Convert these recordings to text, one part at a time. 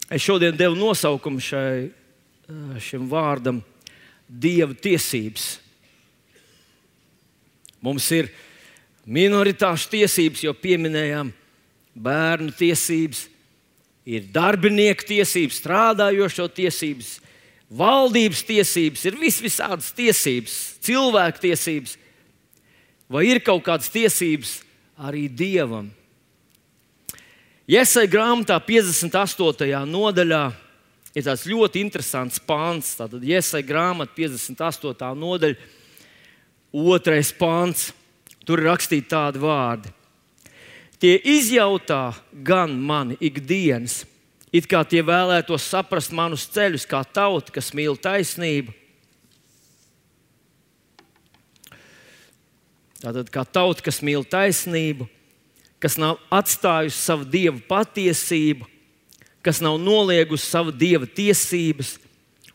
Es šodien devu nosaukumu šim vārdam Dieva tiesības. Mums ir minoritāšu tiesības, jo pieminējām bērnu tiesības, ir darbinieku tiesības, strādājošo tiesības, valdības tiesības, ir visādas tiesības, cilvēku tiesības. Vai ir kaut kādas tiesības arī Dievam? Jesaja grāmatā 58. nodaļā ir tāds ļoti interesants pāns. Tātad Jesaja grāmata 58. nodaļa, 2. pāns. Tur ir rakstīti tādi vārdi. Tie izjautā gan mani ikdienas, it kā tie vēlētos saprast manus ceļus, kā tauta, kas mīl taisnību. Tātad kā tauta, kas mīl taisnību, kas nav atstājusi savu Dieva patiesību, kas nav noliegusi savu Dieva tiesības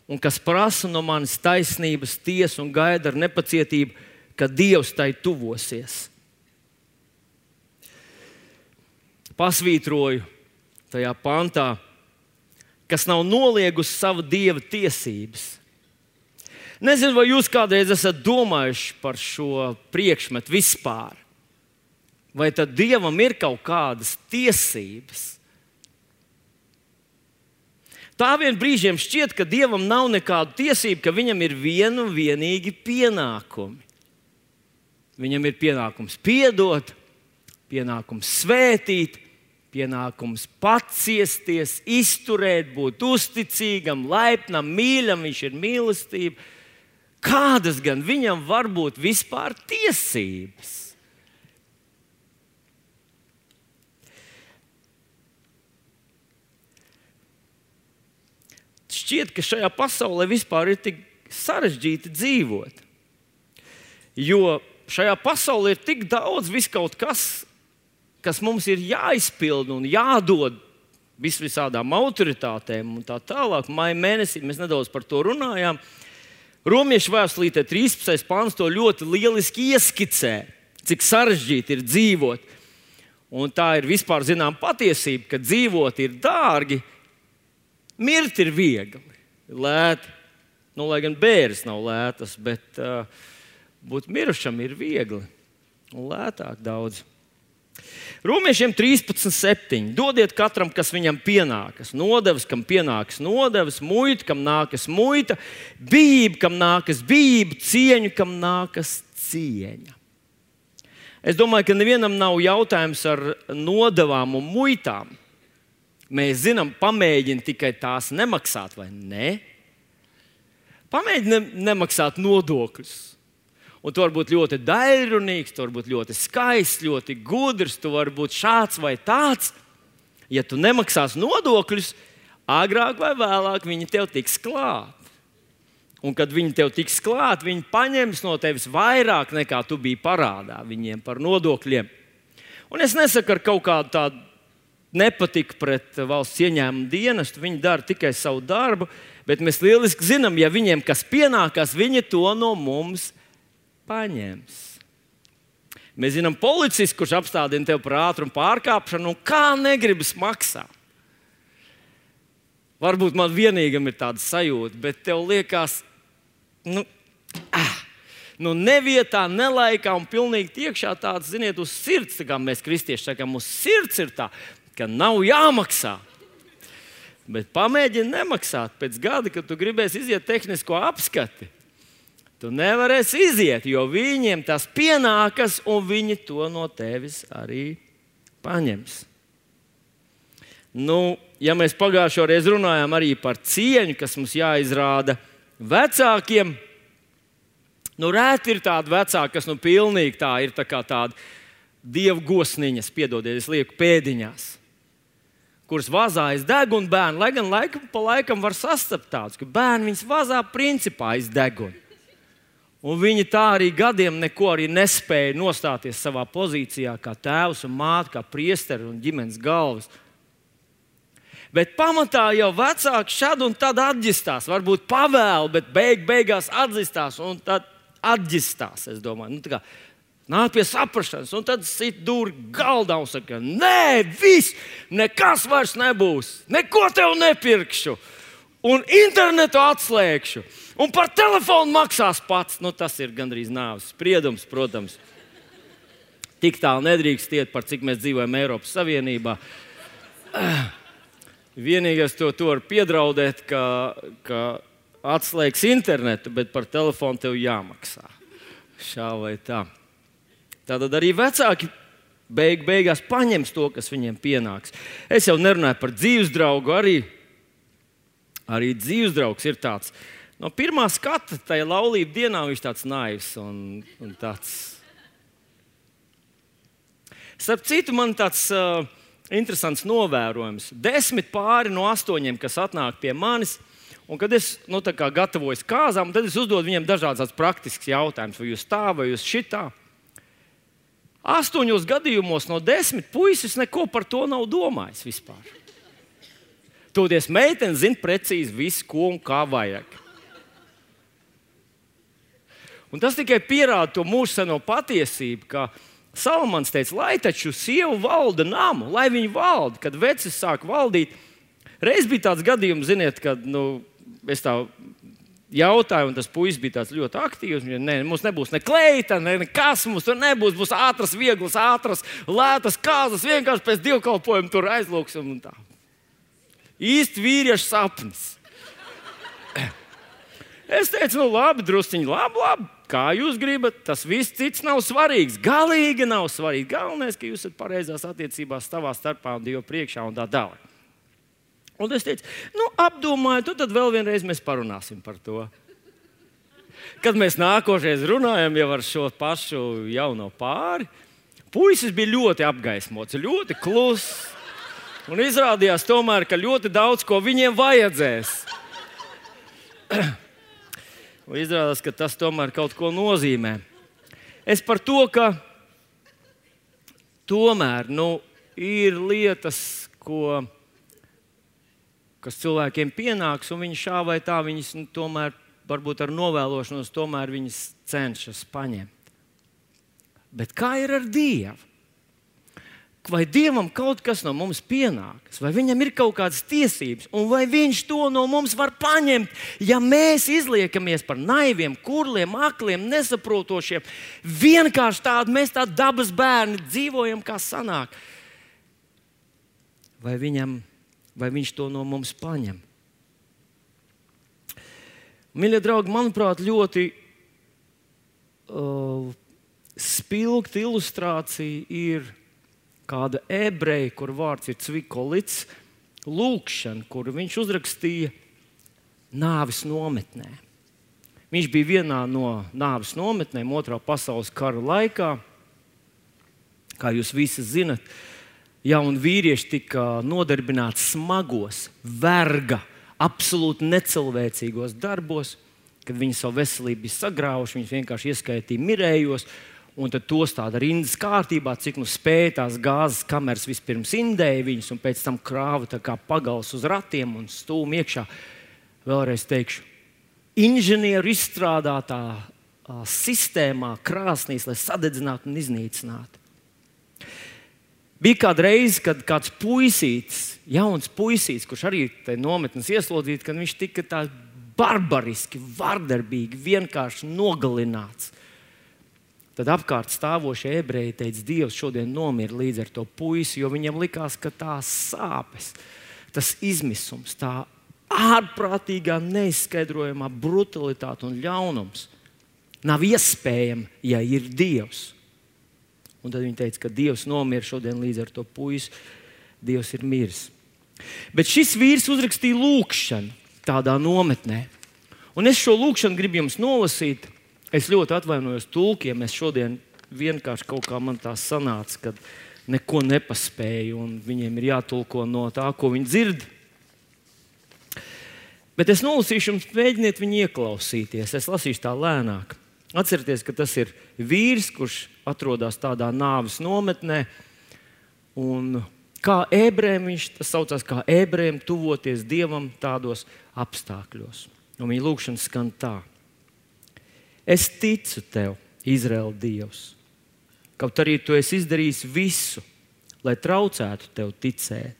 un kas prasa no manis taisnības tiesu un gaida ar nepacietību, ka Dievs tai tuvosies. Pasvītroju tajā pantā, kas nav noliegusi savu Dieva tiesības. Nezinu, vai jūs kādreiz esat domājuši par šo priekšmetu vispār. Vai tad Dievam ir kaut kādas tiesības? Tā vien brīžiem šķiet, ka Dievam nav nekādu tiesību, ka viņam ir vienu un vienīgi pienākumi. Viņam ir pienākums piedot, pienākums svētīt, pienākums paciesties, izturēt, būt uzticīgam, laipnam, mīļam, viņš ir mīlestība. Kādas gan viņam var būt vispār tiesības? Šķiet, ka šajā pasaulē vispār ir tik sarežģīti dzīvot. Jo šajā pasaulē ir tik daudz viskaut kas mums ir jāizpilda un jādod visādām autoritātēm un tā tālāk. Maija mēnesī mēs nedaudz par to runājām. Romiešu vēstulītē 13. pāns to ļoti lieliski ieskicē, cik sarežģīti ir dzīvot. Un tā ir vispār zinām patiesība, ka dzīvot ir dārgi, mirt ir viegli, lēti. Lai gan bēres nav lētas, bet būt mirušam ir viegli un lētāk daudz. Romiešiem 13.7. Dodiet katram, kas viņam pienākas. Nodevas, kam pienākas nodevas, muita, kam nākas muita, bijība, kam nākas bijība, cieņu, kam nākas cieņa. Es domāju, ka nevienam nav jautājums ar nodevām un muitām. Mēs zinām, pamēģini tikai tās nemaksāt, vai ne? Pamēģini nemaksāt nodokļus. Un tu vari būt ļoti daļrunīgs, tu vari būt ļoti skaists, ļoti gudrs, tu vari būt šāds vai tāds. Ja tu nemaksās nodokļus, agrāk vai vēlāk viņi tev tiks klāt. Un kad viņi tev tiks klāt, viņi paņems no tevis vairāk nekā tu biji parādā viņiem par nodokļiem. Un es nesaku ar kaut kādu tādu nepatiku pret valsts ieņēmumu dienestu, viņi dara tikai savu darbu, bet mēs lieliski zinām, ja viņiem kas pienākās, viņi to no mums paņems. Mēs zinām policistu, kurš apstādina tevi par ātrumu pārkāpšanu, un kā negribas maksāt. Varbūt man vienīgam ir tāda sajūta, bet tev liekas, nevietā, nelaikā un pilnīgi iekšā tāds, ziniet, uz sirds, tā kā mēs kristieši sakām, uz sirds ir tā, ka nav jāmaksā. Bet pamēģini nemaksāt pēc gada, kad tu gribēsi iziet tehnisko apskati. Tu nevarēsi iziet, jo viņiem tas pienākas, un viņi to no tevis arī paņems. Ja mēs pagājušo reizi runājām arī par cieņu, kas mums jāizrāda vecākiem, rēti ir tādi vecāki, kas pilnīgi tā ir tā kā tāda dievgosniņas, piedodiet, es lieku pēdiņās, kuras vazājas degunu bērnu, lai gan laikam pa laikam var sastapt tādus, ka bērni viņus vazā principā aiz degunu. Un viņi tā arī gadiem neko arī nespēja nostāties savā pozīcijā kā tēvs un māte, kā priesteri un ģimenes galvas. Bet pamatā jau vecāki šad un tad atģistās. Varbūt pavēl, bet beigās atģistās un tad atģistās, es domāju. Nāk pie saprašanas, un tad sit dūri galdā un saka, nē, viss, nekas vairs nebūs, neko tev nepirkšu, un internetu atslēgšu, un par telefonu maksās pats. Nu, tas ir gandrīz nāves spriedums, protams. Tik tālu nedrīkst iet, par cik mēs dzīvojam Eiropas Savienībā. Vienīgais to var piedraudēt, ka atslēgs internetu, bet par telefonu tev jāmaksā. Šā vai tā. Tātad arī vecāki beigās paņems to, kas viņiem pienāks. Es jau nerunāju par dzīvesdraugu, arī dzīvesdraugs ir tāds. No pirmā skata tajā laulību dienā viņš tāds naivs un tāds. Starp citu, man tāds interesants novērojums. 10 pāri no 8, kas atnāk pie manis, un kad es gatavojos kāzām, tad es uzdodu viņiem dažādas praktiskas jautājumus, vai jūs tā, vai jūs šitā. 8 gadījumos no 10 puisis neko par to nav domājis vispār. Toties meitene zina precīzi visu, ko un kā vajag. Un tas tikai pierāda to mūsdienu patiesību, ka Salamans teica, lai taču sieva valda namu, lai viņa valda. Kad vecis sāk valdīt, reiz bija tāds gadījums, ziniet, kad es tā jautāju, un tas puisis bija tāds ļoti aktīvs. Mums nebūs ne kleita, nekas, mums tur nebūs. Būs ātras, vieglas, lētas kāzas, vienkārši pēc dievkalpojuma tur aizlūksim un tā. Īsti vīriešu sapnis. Es teicu, labi, drusciņi, labi. Kā jūs gribat, tas viss cits nav svarīgs. Galīgi nav svarīgi. Galvenais, ka jūs esat pareizās attiecībās savā starpā un Dievu priekšā un tā tālāk. Un es teicu, apdomāju, tad vēl vienreiz mēs parunāsim par to. Kad mēs nākošais runājam jau ar šo pašu jauno pāri, puisis bija ļoti apgaismots, ļoti kluss. Un izrādījās tomēr, ka ļoti daudz ko viņiem vajadzēs. Un izrādās, ka tas tomēr kaut ko nozīmē. Es par to, ka tomēr ir lietas, kas cilvēkiem pienāks, un viņi šā vai tā, viņas tomēr, varbūt ar novēlošanos, tomēr viņas cenšas paņemt. Bet kā ir ar Dievu? Vai Dievam kaut kas no mums pienākas, vai viņam ir kaut kādas tiesības, un vai viņš to no mums var paņemt, ja mēs izliekamies par naiviem, kurliem, akliem, nesaprotošiem, vienkārši mēs tādi dabas bērni dzīvojam, kā sanāk. Vai viņš to no mums paņem? Mīļie draugi, manuprāt, ļoti spilgta ilustrācija ir kāda ebreja, kur vārds ir Cvikolits, lūkšana, kur viņš uzrakstīja nāves nometnē. Viņš bija vienā no nāves nometnēm 2. pasaules kara laikā. Kā jūs visi zinat, jauni vīrieši tika nodarbināti smagos, verga, absolūti necilvēcīgos darbos, kad viņi savu veselību bija sagrauši, viņus vienkārši ieskaitīja mirējos. Un tad tos tāda rindas kārtībā, cik spēja tās gāzes kameras vispirms indēja viņus, un pēc tam krāva tā kā pagals uz ratiem un stūma iekšā. Vēlreiz teikšu, inženieru izstrādātā sistēmā, krāsnīs, lai sadedzinātu un iznīcinātu. Bija kāda reize, kad kāds puisītis, jauns puisītis, kurš arī te nometnes ieslodzīts, kad viņš tika tā barbariski, vardarbīgi, vienkārši nogalināts. Tad apkārt stāvošie ebreji teica, Dievs šodien nomira līdz ar to puisi, jo viņam likās, ka tās sāpes, tas izmisums, tā ārprātīgā, neizskaidrojamā brutalitāte un ļaunums nav iespējama, ja ir Dievs. Un tad viņi teica, ka Dievs nomira šodien līdz ar to puisi, Dievs ir miris. Bet šis vīrs uzrakstīja lūkšanu tādā nometnē. Un es šo lūkšanu gribu jums nolasīt. Es ļoti atvainojos tulkiem. Es šodien vienkārši kaut kā man tā sanāca, kad neko nepaspēju, un viņiem ir jātulko no tā, ko viņi dzird. Bet es nolasīšu jums, mēģiniet viņu ieklausīties. Es lasīšu tā lēnāk. Atcerieties, ka tas ir vīrs, kurš atrodas tādā nāves nometnē. Un kā ebrejiem, viņš tas saucās kā ebrejiem tuvoties Dievam tādos apstākļos. Un viņa lūkšana skan tā. Es ticu tev, Izraēla Dievs, Kaut arī tu esi izdarījis visu, lai traucētu tev ticēt.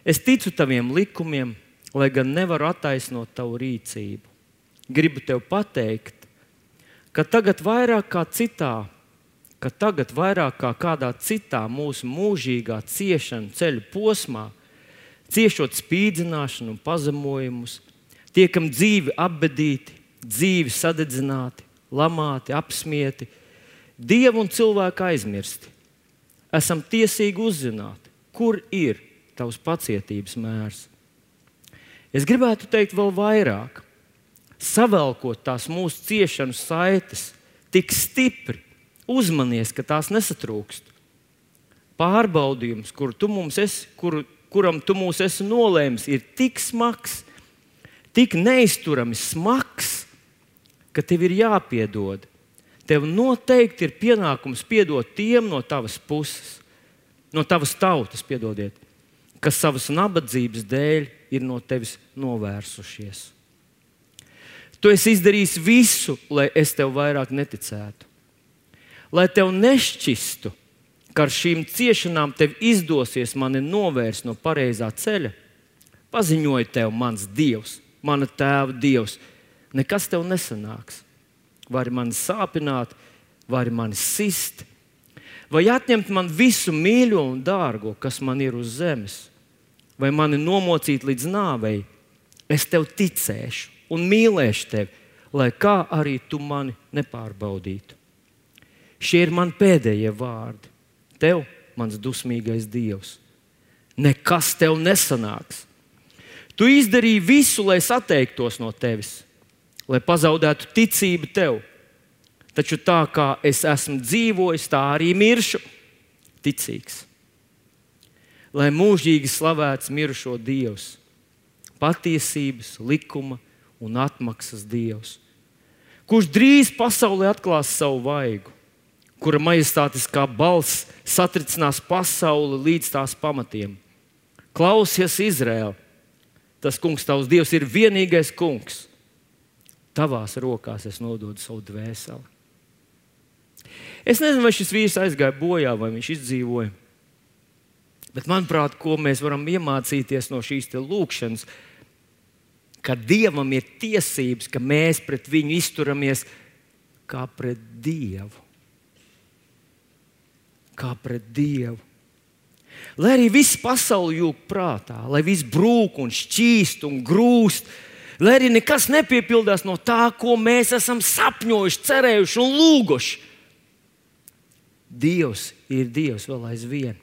Es ticu taviem likumiem, lai gan nevaru attaisnot tavu rīcību. Gribu tev pateikt, ka tagad vairāk kā kādā citā mūsu mūžīgā ciešanu ceļu posmā, ciešot spīdzināšanu un pazemojumus, tiekam dzīvi apbedīti, dzīvi sadedzināti, lamāti, apsmieti, Dievu un cilvēku aizmirsti. Esam tiesīgi uzzināt, kur ir tavs pacietības mērs. Es gribētu teikt vēl vairāk. Savelkot tās mūsu ciešanu saites tik stipri, uzmanies, ka tās nesatrūkst. Pārbaudījums, kuram tu mūs esi nolēmis, ir tik smags, tik neizturami smags, ka tev ir jāpiedod. Tev noteikti ir pienākums piedot tiem no tavas puses, no tavas tautas, kas savas nabadzības dēļ ir no tevis novērsušies. Tu esi izdarījis visu, lai es tev vairāk neticētu. Lai tev nešķistu, ka ar šīm ciešanām tev izdosies mani novērst no pareizā ceļa, paziņoju tev, mans Dievs, mana tēva Dievs, nekas tev nesanāks. Vari mani sāpināt, vari mani sist, vai atņemt man visu mīļo un dārgo, kas man ir uz zemes, vai mani nomocīt līdz nāvei. Es tev ticēšu un mīlēšu tevi, lai kā arī tu mani nepārbaudītu. Šie ir mani pēdējie vārdi. Tev, mans dusmīgais Dievs, nekas tev nesanāks. Tu izdarīji visu, lai es atteiktos no tevis, lai pazaudētu ticību tev. Taču tā kā es esmu dzīvojis, tā arī miršu ticīgs. Lai mūžīgi slavēts mirušo Dievs, patiesības, likuma un atmaksas Dievs, kurš drīz pasaulē atklās savu vaigu, kura majestātiskā balss satricinās pasauli līdz tās pamatiem. Klausies, Izraēl, tas kungs tavs Dievs ir vienīgais kungs. Tavās rokās es nododu savu dvēseli. Es nezinu, vai šis vīrs aizgāja bojā, vai viņš izdzīvoja. Bet, manuprāt, ko mēs varam iemācīties no šīs lūkšanas, ka Dievam ir tiesības, ka mēs pret viņu izturamies kā pret Dievu. Kā pret Dievu. Lai arī viss pasauli jūg prātā, lai viss brūk un šķīst un grūst, lai arī nekas nepiepildās no tā, ko mēs esam sapņojuši, cerējuši un lūguši. Dievs ir Dievs vēl aizvien.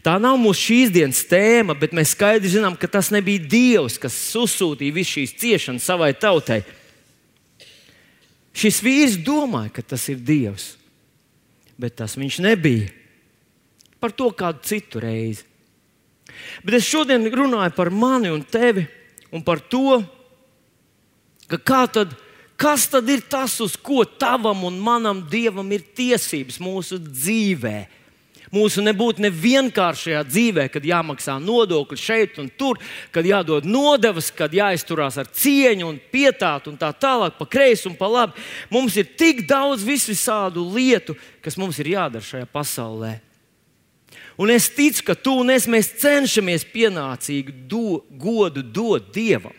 Tā nav mūsu šīs dienas tēma, bet mēs skaidri zinām, ka tas nebija Dievs, kas uzsūtīja visu šīs ciešanas savai tautai. Šis vīrs domāja, ka tas ir Dievs, bet tas viņš nebija. Par to kādu citu reizi. Bet es šodien runāju par mani un tevi un par to, ka kas tad ir tas, uz ko tavam un manam Dievam ir tiesības mūsu dzīvē. Mūsu nebūtu nevienkāršajā dzīvē, kad jāmaksā nodokļi šeit un tur, kad jādod nodevas, kad jāizturās ar cieņu un pietātu un tā tālāk, pa kreisi un pa labi. Mums ir tik daudz visādu lietu, kas mums ir jādara šajā pasaulē. Un es ticu, ka tu un es mēs cenšamies pienācīgi godu dot Dievam.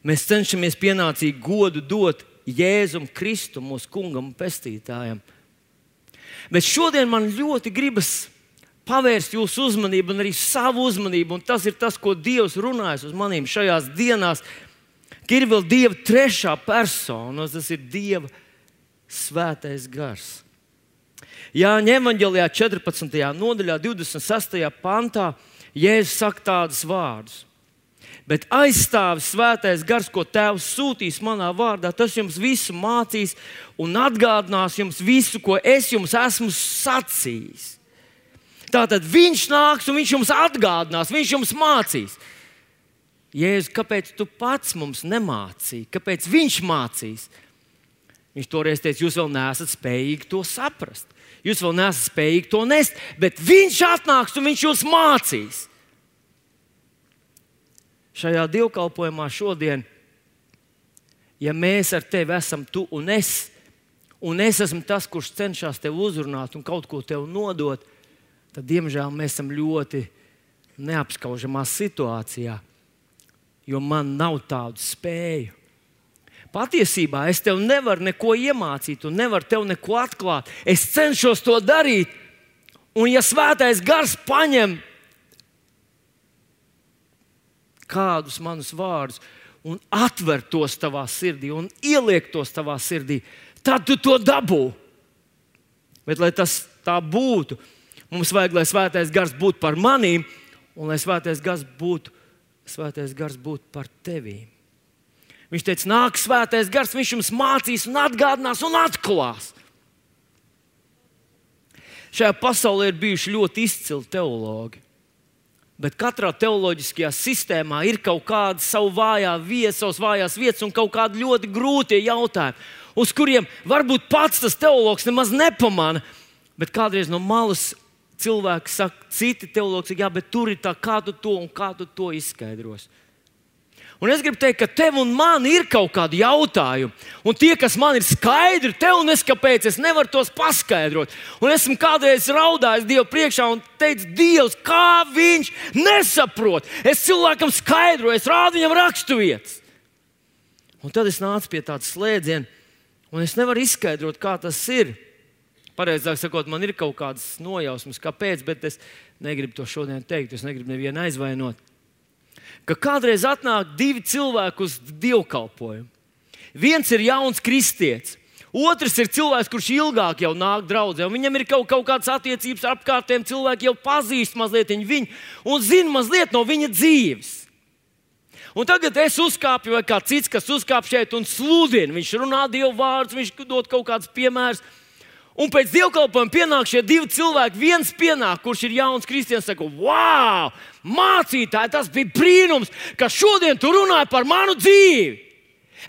Mēs cenšamies pienācīgi godu dot Jēzum Kristu, mūsu kungam un pestītājam. Bet šodien man ļoti gribas pavērst jūsu uzmanību un arī savu uzmanību, un tas ir tas, ko Dievs runājas uz manīm šajās dienās, ka ir vēl Dieva trešā persona, un tas ir Dieva svētais gars. Jāņa evaņģelijā 14. nodaļā, 26. pantā, Jēzus saka tādus vārdus. Bet aizstāvis svētais gars, ko Tēvs sūtīs manā vārdā, tas jums visu mācīs un atgādinās jums visu, ko es jums esmu sacījis. Tātad viņš nāks un viņš jums atgādinās, viņš jums mācīs. Jēzus, kāpēc tu pats mums nemācīji? Kāpēc viņš mācīs? Viņš toreiz teica, jūs vēl neesat spējīgi to saprast. Jūs vēl neesat spējīgi to nest, bet viņš atnāks un viņš jūs mācīs. Šajā dievkalpojumā šodien, ja mēs ar tevi esam tu un es, un es esmu tas, kurš cenšas tev uzrunāt un kaut ko tev nodot, tad, diemžēl, mēs esam ļoti neapskaužamā situācijā, jo man nav tādu spēju. Patiesībā es tev nevaru neko iemācīt un nevaru tev neko atklāt. Es cenšos to darīt, un ja Svētais Gars paņem kādus manus vārdus un atver tos tavā sirdī un ieliek tos tavā sirdī, tad tu to dabū. Bet, lai tas tā būtu, mums vajag, lai Svētais Gars būtu par manīm un lai Svētais Gars būtu par tevīm. Viņš teica, nāk Svētais Gars, viņš jums mācīs un atgādinās un atklās. Šajā pasaulē ir bijuši ļoti izcili teologi, bet katrā teoloģiskajā sistēmā ir kaut kāda savu savas vājās vietas un kaut kādi ļoti grūtie jautājumi, uz kuriem varbūt pats tas teologs nemaz nepamana, bet kādreiz no malas cilvēki saka, citi teologi saka, jā, bet tur ir tā, kā tu to izskaidros. Un es gribu teikt, ka tev un man ir kaut kādi jautājumi. Un tie, kas man ir skaidri, tev neskapēc, es nevaru tos paskaidrot. Un esmu kādreiz raudājis Dievu priekšā un teicis, Dievs, kā viņš nesaprot. Es cilvēkam skaidroju, es rādu viņam raksturvietas. Un tad es nācu pie tāda slēdziena, un es nevaru izskaidrot, kā tas ir. Pareizāk sakot, man ir kaut kādas nojausmas, kāpēc, bet es negribu to šodien teikt, es negribu nevienu aizvainot. Ka kādreiz atnāk divi cilvēki uz dievkalpojumu. Viens ir jauns kristietis, otrs ir cilvēks, kurš ilgāk jau nāk draudzē, un viņam ir kaut kādas attiecības ar apkārtējiem cilvēkiem, jau pazīst mazliet viņu un zina mazliet no viņa dzīves. Un tagad es uzkāpu, vai kāds cits, kas uzkāp šeit un sludina. Viņš runā Dievu vārdus, viņš dod kaut kādus piemērus. Un pēc dievkalpojuma pienāk šie divi cilvēki. Viens pienāk, kurš ir jauns kristietis, saka, wow, mācītāji, tas bija brīnums, ka šodien tu runāji par manu dzīvi.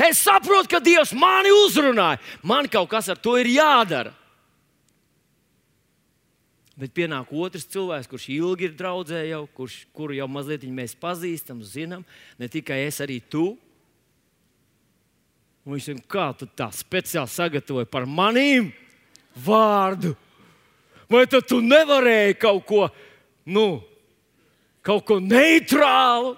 Es saprotu, ka Dievs mani uzrunāja. Man kaut kas ar to ir jādara. Bet pienāk otrs cilvēks, kurš ilgi ir draudzē jau, kuru jau mazliet mēs pazīstam, zinām, ne tikai es, arī tu. Un viņš saka, kā tu tā speciāli sagatavoji par manīm vārdu? Vai tad tu nevarēji kaut ko neitrālu?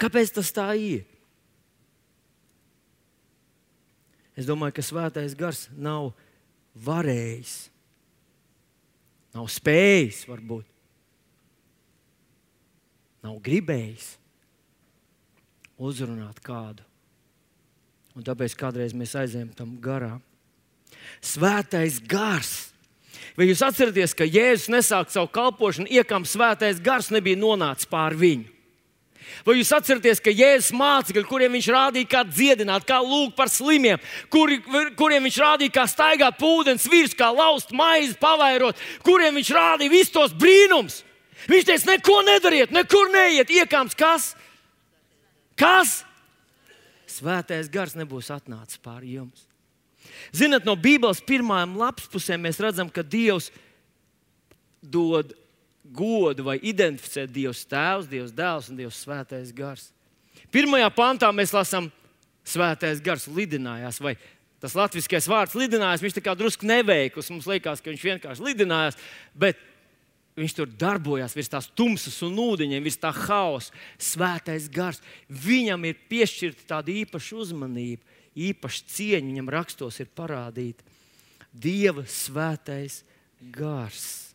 Kāpēc tas tā ir? Es domāju, ka Svētais Gars nav varējis, nav spējis varbūt, nav gribējis uzrunāt kādu. Un tāpēc kādreiz mēs aizējām tam garām. Svētais Gars. Vai jūs atceraties, ka Jēzus nesāk savu kalpošanu, iekam Svētais Gars nebija nonācis pār viņu? Vai jūs atceraties, ka Jēzus mācekļi, kuriem viņš rādīja, kā dziedināt, kā lūgt par slimiem, kuriem viņš rādīja, kā staigāt pa ūdens virsmu, kā laust maizi, pavairot, kuriem viņš rādīja visus tos brīnums? Viņš teica, neko nedariet, nekur neiet, iekams kas? Kas? Svētais Gars nebūs atnācis pāri jums. Zināt, no Bībeles pirmajām lapspusēm mēs redzam, ka Dievs dod godu vai identificē Dievs Tēvs, Dievs Dēls un Dievs Svētais Gars. Pirmajā pantā mēs lasām, Svētais Gars lidinājās, vai tas latviskais vārds lidinājās, viņš tā kā drusku neveikls, mums liekas, ka viņš vienkārši lidinājās, bet viņš tur darbojās virs tās tumsas un ūdeņiem, virs tā hausa. Svētais Gars, viņam ir piešķirta tāda īpaša uzmanība, īpaša cieņa, viņam rakstos ir parādīta. Dieva Svētais Gars.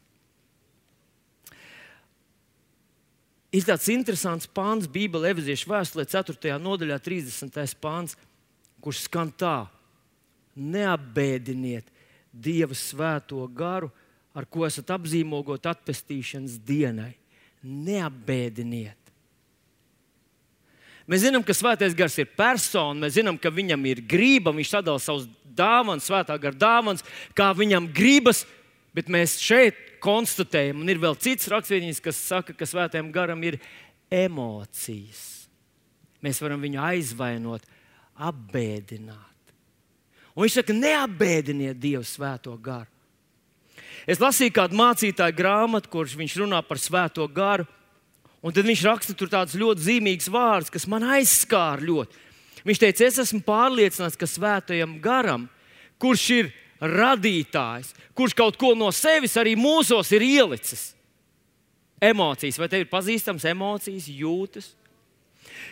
Ir tāds interesants pāns Bībelē, Efeziešu vēstulē 4. nodaļā 30. pāns, kurš skan tā: neapbēdiniet Dieva Svēto Garu, ar ko esat apzīmogot atpestīšanas dienai. Neapbēdiniet. Mēs zinām, ka Svētais Gars ir persona, mēs zinām, ka viņam ir grība, viņš sadala savus dāvanas, Svētā Gara dāvanas, kā viņam gribas, bet mēs šeit konstatējam, un ir vēl cits rakstvietiņas, kas saka, ka Svētajam Garam ir emocijas. Mēs varam viņu aizvainot, apbēdināt. Un viņš saka, neapbēdiniet Dievu Svēto Garu. Es lasīju kādu mācītāju grāmatu, kurš viņš runā par Svēto Garu, un tad viņš raksta tur tāds ļoti zīmīgs vārds, kas man aizskāra ļoti. Viņš teica, es esmu pārliecināts, ka svētajam garam, kurš ir radītājs, kurš kaut ko no sevis arī mūsos ir ielicis. Emocijas, vai tev ir pazīstams emocijas, jūtas?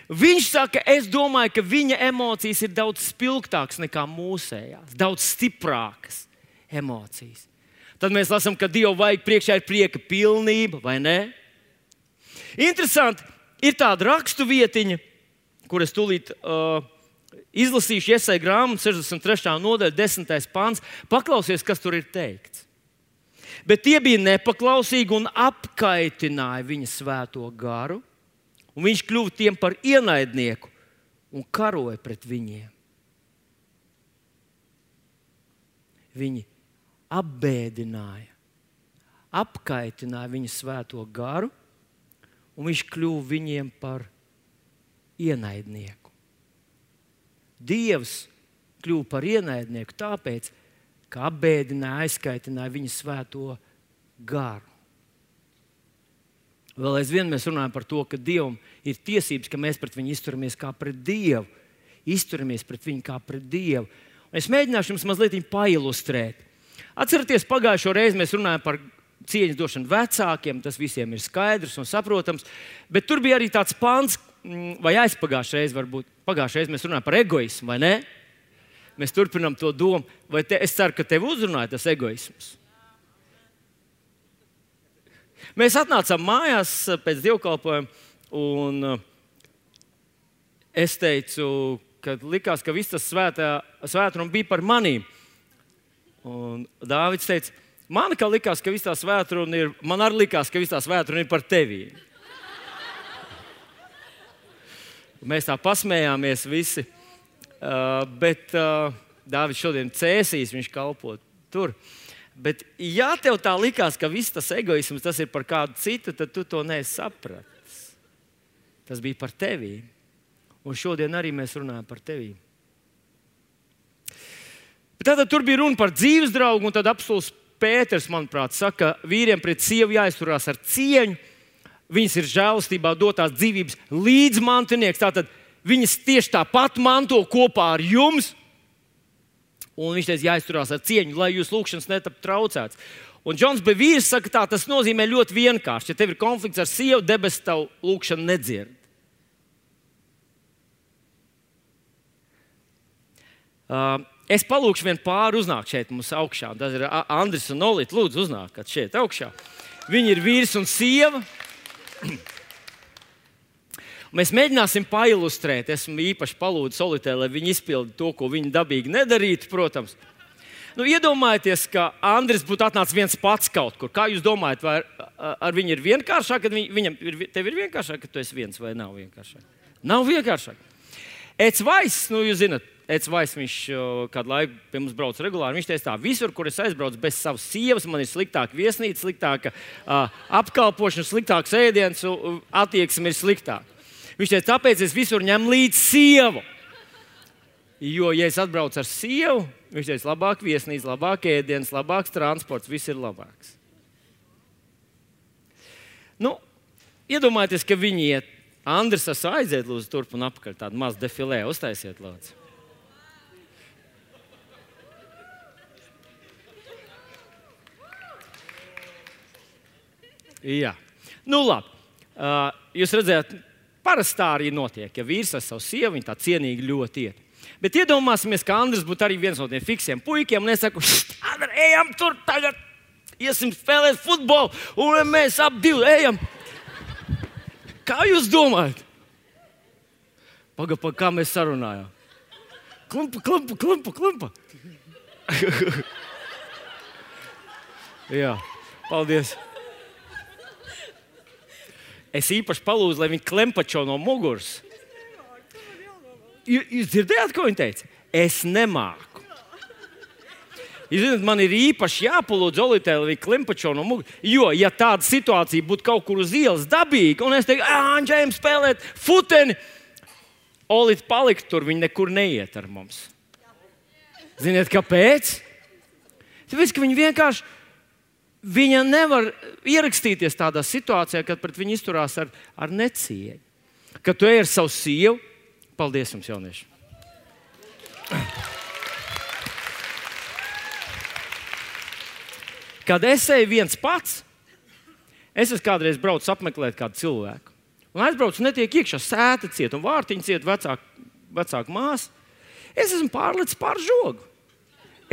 Viņš saka, es domāju, ka viņa emocijas ir daudz spilgtākas nekā mūsējās, daudz stiprākas emocijas. Tad mēs lasām, ka Dievu vajag priekšā ir prieka pilnība, vai ne? Interesanti, ir tāda rakstu vietiņa, kur es tūlīt izlasīšu Jesaja grāmatu 63. nodaļa, 10. pants. Paklausies, kas tur ir teikts. Bet tie bija nepaklausīgi un apkaitināja viņa svēto garu, un viņš kļuva tiem par ienaidnieku un karoja pret viņiem. Viņi apbēdināja, apkaitināja viņa svēto garu, un viņš kļuva viņiem par ienaidnieku. Dievs kļuva par ienaidnieku tāpēc, ka apbēdināja, aizkaitināja viņa svēto garu. Vēl aizvien mēs runājam par to, ka Dievam ir tiesības, ka mēs pret viņu izturamies kā pret Dievu. Izturamies pret viņu kā pret Dievu. Un es mēģināšu jums mazliet pailustrēt. Atcerieties, pagājušo reizi mēs runājam par cieņas došanu vecākiem, tas visiem ir skaidrs un saprotams, bet tur bija arī tāds pants, vai aizpagājušajā reizē varbūt. Pagājušajā reizē mēs runājam par egoismu, vai ne? Mēs turpinām to domu. Es ceru, ka tev uzrunāja tas egoisms. Mēs atnācām mājās pēc dievkalpojuma, un es teicu, ka likās, ka viss tas svētrums bija par manīm. Un Dāvids teica, man likās, ka viss tā svētrums ir, man arī likās, ka viss tā svētrums ir par tevi. Mēs tā pasmējāmies visi, bet Dāvids šodien cēsīs, viņš kalpo tur. Bet, ja tev tā likās, ka viss tas egoisms tas ir par kādu citu, tad tu to neesi sapratis. Tas bija par tevi. Un šodien arī mēs runājam par tevi. Tātad tur bija runa par dzīves draugu, un tad apstults Pēters, manuprāt, saka, vīriem pret sievu jāizturās ar cieņu. Viņas ir žēlastībā dotās dzīvības līdzmantinieks. Tātad viņas tieši tāpat manto kopā ar jums. Un viņš teica, jāizturās ar cieņu, lai jūs lūkšanas netap traucēts. Un Džons Bevīrs saka tā, tas nozīmē ļoti vienkārši. Ja tev ir konflikts ar sievu, debesis tavu lūkšanu nedzird. Es palūkšu vienu pāri uznākt šeit mums augšā. Tas ir Andris un Olita. Lūdzu, uznākat šeit augšā. Viņi ir vīrs un sieva. Mēs mēģināsim pailustrēt. Esmu īpaši palūdzis Olitē, lai viņi izpildi to, ko viņi dabīgi nedarītu, protams. Iedomājieties, ka Andris būtu atnācis viens pats kaut kur. Kā jūs domājat, vai ar viņu ir vienkāršāk, tev ir vienkāršāk, ka tu esi viens, vai nav vienkāršāk? Nav vienkāršāk. Eds Vaiss, jūs zināt, Eds Vaiss, viņš kādu laiku pie mums brauc regulāri. Viņš teica tā, visur, kur es aizbraucu bez savas sievas, man ir sliktāka viesnīca, sliktāka apkalpošana, sliktāks ēdiens, attieksme ir sliktāka. Viņš teica, tāpēc es visur ņemu līdzi sievu. Jo, ja es atbraucu ar sievu, viņš teica, labāk viesnīca, labāk ēdiens, labāks transports, viss ir labāks. Iedomājieties, ka viņi iet. Andris, aiziet lūdzu turp un apakaļ, tādu mazu defilē, uztaisiet lūdzu. Jā. Labi. Jūs redzējāt, parasti tā arī notiek. Ja vīrs ar savu sievu, viņi tā cienīgi ļoti iet. Bet iedomāsimies, ka Andris būtu arī viens no tiem fiksiem puikiem, un es saku, Andri, ejam tur tagad, iesim spēlēt futbolu, un mēs ap divi ejam. Kā jūs domājat? Pagaid, kā mēs sarunājām? Klimpa. Jā, paldies. Es īpaši palūdzu, lai viņi klempačo no muguras. Jūs dzirdējāt, ko viņi teica? Es nemāku. Jūs zināt, man ir īpaši jāpalūdz Olitē, lai viņi klempačo no muguras. Jo, ja tāda situācija būtu kaut kur uz ielas dabīga, un es teiktu, Andžējam spēlēt futeni, Olita palikt tur, viņi nekur neiet ar mums. Ziniet, kāpēc? Tāpēc, ka viņi vienkārši viņa nevar ierakstīties tādā situācijā, kad pret viņu izturās ar necieņu. Kad tu ej ar savu sievu, paldies jums, jaunieši. Kad es eju viens pats, es esmu kādreiz braucis apmeklēt kādu cilvēku. Un aizbraucu, netiek iekšā sēta ciet un vārtiņa ciet vecāka māsa. Es esmu pārlicis pār žogu.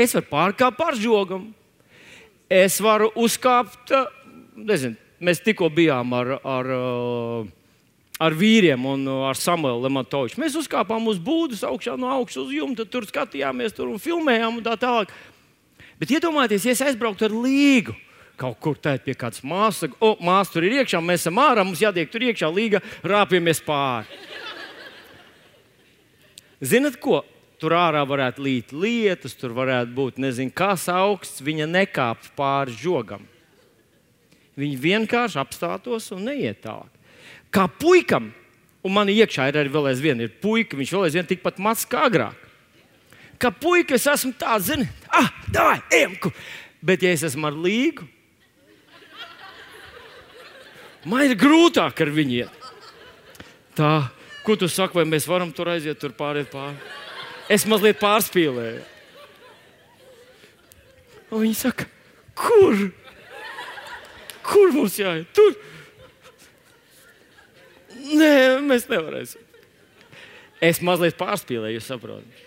Es varu pārkāpt pār žogam. Es varu uzkāpt, nezinu, mēs tikko bijām ar vīriem un ar Samuelu Lemantoviču. Mēs uzkāpām uz būdas augšā no augšas uz jumta, tur skatījāmies tur un filmējām un tā tālāk. Bet iedomājieties, ja es aizbrauktu ar līgu kaut kur tēt pie kādas māsas, saka, māsa tur ir iekšā, mēs esam ārā, mums jātiek tur iekšā, līga, rāpjamies pāri. Zinat ko? Tur ārā varētu līt lietus, tur varētu būt nezinu kas augsts, viņa nekāp pāri žogam. Viņa vienkārši apstātos un neiet tālāk. Kā puikam, un man iekšā ir arī vēl aizvien ir puika, viņš vēl aizvien tikpat mazs kā agrāk. Kā puika es esmu tāds, zini, davai, ejam, bet ja es esmu ar līgu, man ir grūtāk ar viņu iet. Tā, ko tu saki, vai mēs varam tur aiziet, tur pāriet pāri? Es mazliet pārspīlēju. Un viņi saka, kur? Kur mums jāiet? Tur? Nē, mēs nevarēsim. Es mazliet pārspīlēju, jūs saprotat.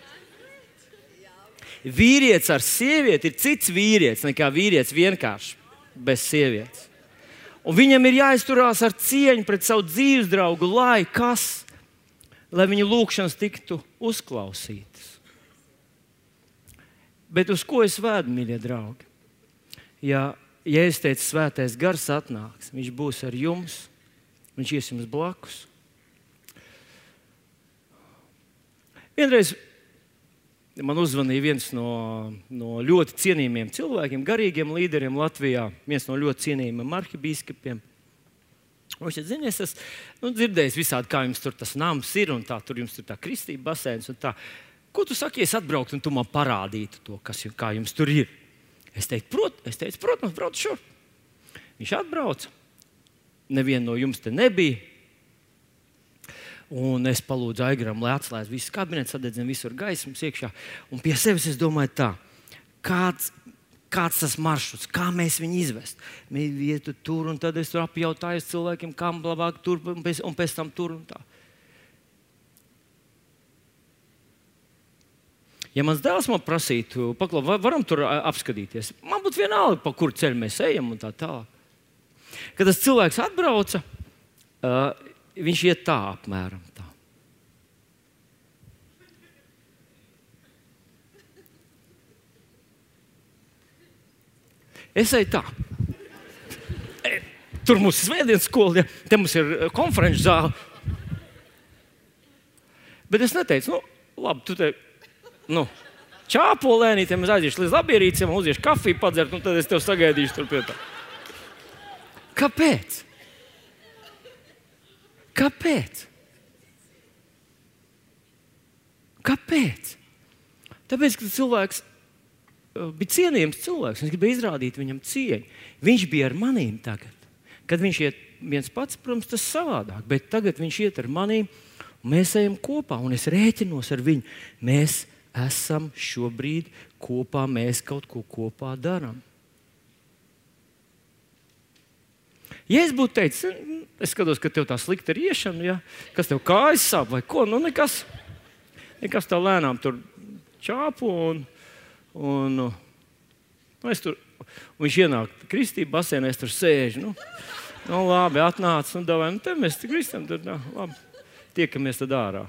Vīrietis ar sievieti ir cits vīrietis nekā vīrietis vienkārši bez sievietes. Un viņam ir jāizturās ar cieņu pret savu dzīves draugu, lai viņa lūgšanas tiktu uzklausītas. Bet uz ko es vedu, mīļie draugi? Ja es teicu, svētais gars atnāks, viņš būs ar jums, viņš ies jums blakus. Vienreiz man uzzvanīja viens no ļoti cienījumiem cilvēkiem, garīgiem līderiem Latvijā, viens no ļoti cienījumiem arhibīskapiem. Viņš teica, zini, es esmu dzirdējis visādi, kā jums tur tas nams ir, un tā, tur jums tur tā kristība basēns un tā. Ko tu saki, ja es atbrauktu un tu man parādītu to, kā jums tur ir? Es teicu, protams, brauc šurp. Viņš atbrauca, neviena no jums te nebija. Un es palūdzu Aigaram, lai atslēdz visu kabinetu, sadedzina visur gaismas iekšā. Un pie sevis es domāju tā, kāds tas maršruts, kā mēs viņu izvest. Mēs vietu tur, un tad es tur apjautājos cilvēkiem, kam labāk tur, un pēc tam tur un tā. Ja mans dēls man prasītu, varam tur apskatīties, man būtu vienalga, pa kuru ceļu mēs ejam un tā tālāk. Kad tas cilvēks atbrauca, viņš iet tā apmēram tā. Es eju tā. Tur mums ir svētdienas skola, ja? Te mums ir konferenču zāle. Bet es neteicu, labi, tu te, čāpolēnī, te mēs aiziešu līdz labierīciem, uziešu kafiju padzert, un tad es tev sagaidīšu tur pie tā. Kāpēc? Tāpēc, ka cilvēks bija cienījams cilvēks, viņš gribēja izrādīt viņam cieņu. Viņš bija ar manīm tagad. Kad viņš iet viens pats, protams, tas savādāk, bet tagad viņš iet ar manīm, un mēs ejam kopā, un es rēķinos ar viņu. Mēs esam šobrīd kopā, mēs kaut ko kopā darām. Ja es būtu teicis, es skatos, ka tev tā slikta ir iešana, ja? Kas tev kājas sāp vai ko, nekas tā lēnām tur čāpu un es tur, viņš ienāk kristība basēnā, es tur sēžu, labi, atnāc, davai, te mēs kristam, tad, labi, tiekamies tad ārā.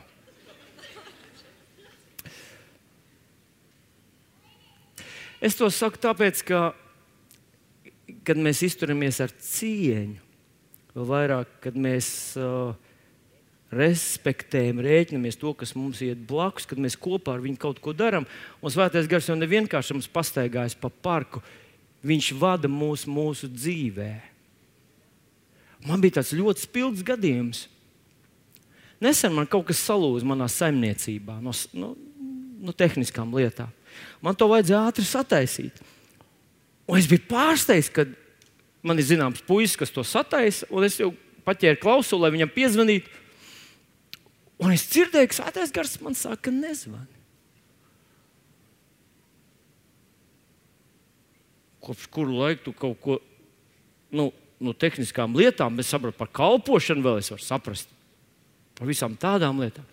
Es to saku tāpēc, ka kad mēs izturamies ar cieņu, vēl vairāk, kad mēs respektējam, rēķinamies to, kas mums iet blakus, kad mēs kopā ar viņu kaut ko darām, un svētais gars jau nevienkārši mums pastaigājas pa parku, viņš vada mūsu dzīvē. Man bija tāds ļoti spilgts gadījums. Nesen man kaut kas salūza manā saimniecībā no tehniskām lietām. Man to vajadzēja ātri sataisīt. Un es biju pārsteigts, kad man ir zināms puisis, kas to sataisa, un es jau paķēru klausuli, lai viņam piezvanītu. Un es dzirdēju, ka svētais gars man saka, nezvani. kopš kuru laiku tu kaut ko, no tehniskām lietām, bet saprotu par kalpošanu vēl es varu saprast. Par visām tādām lietām.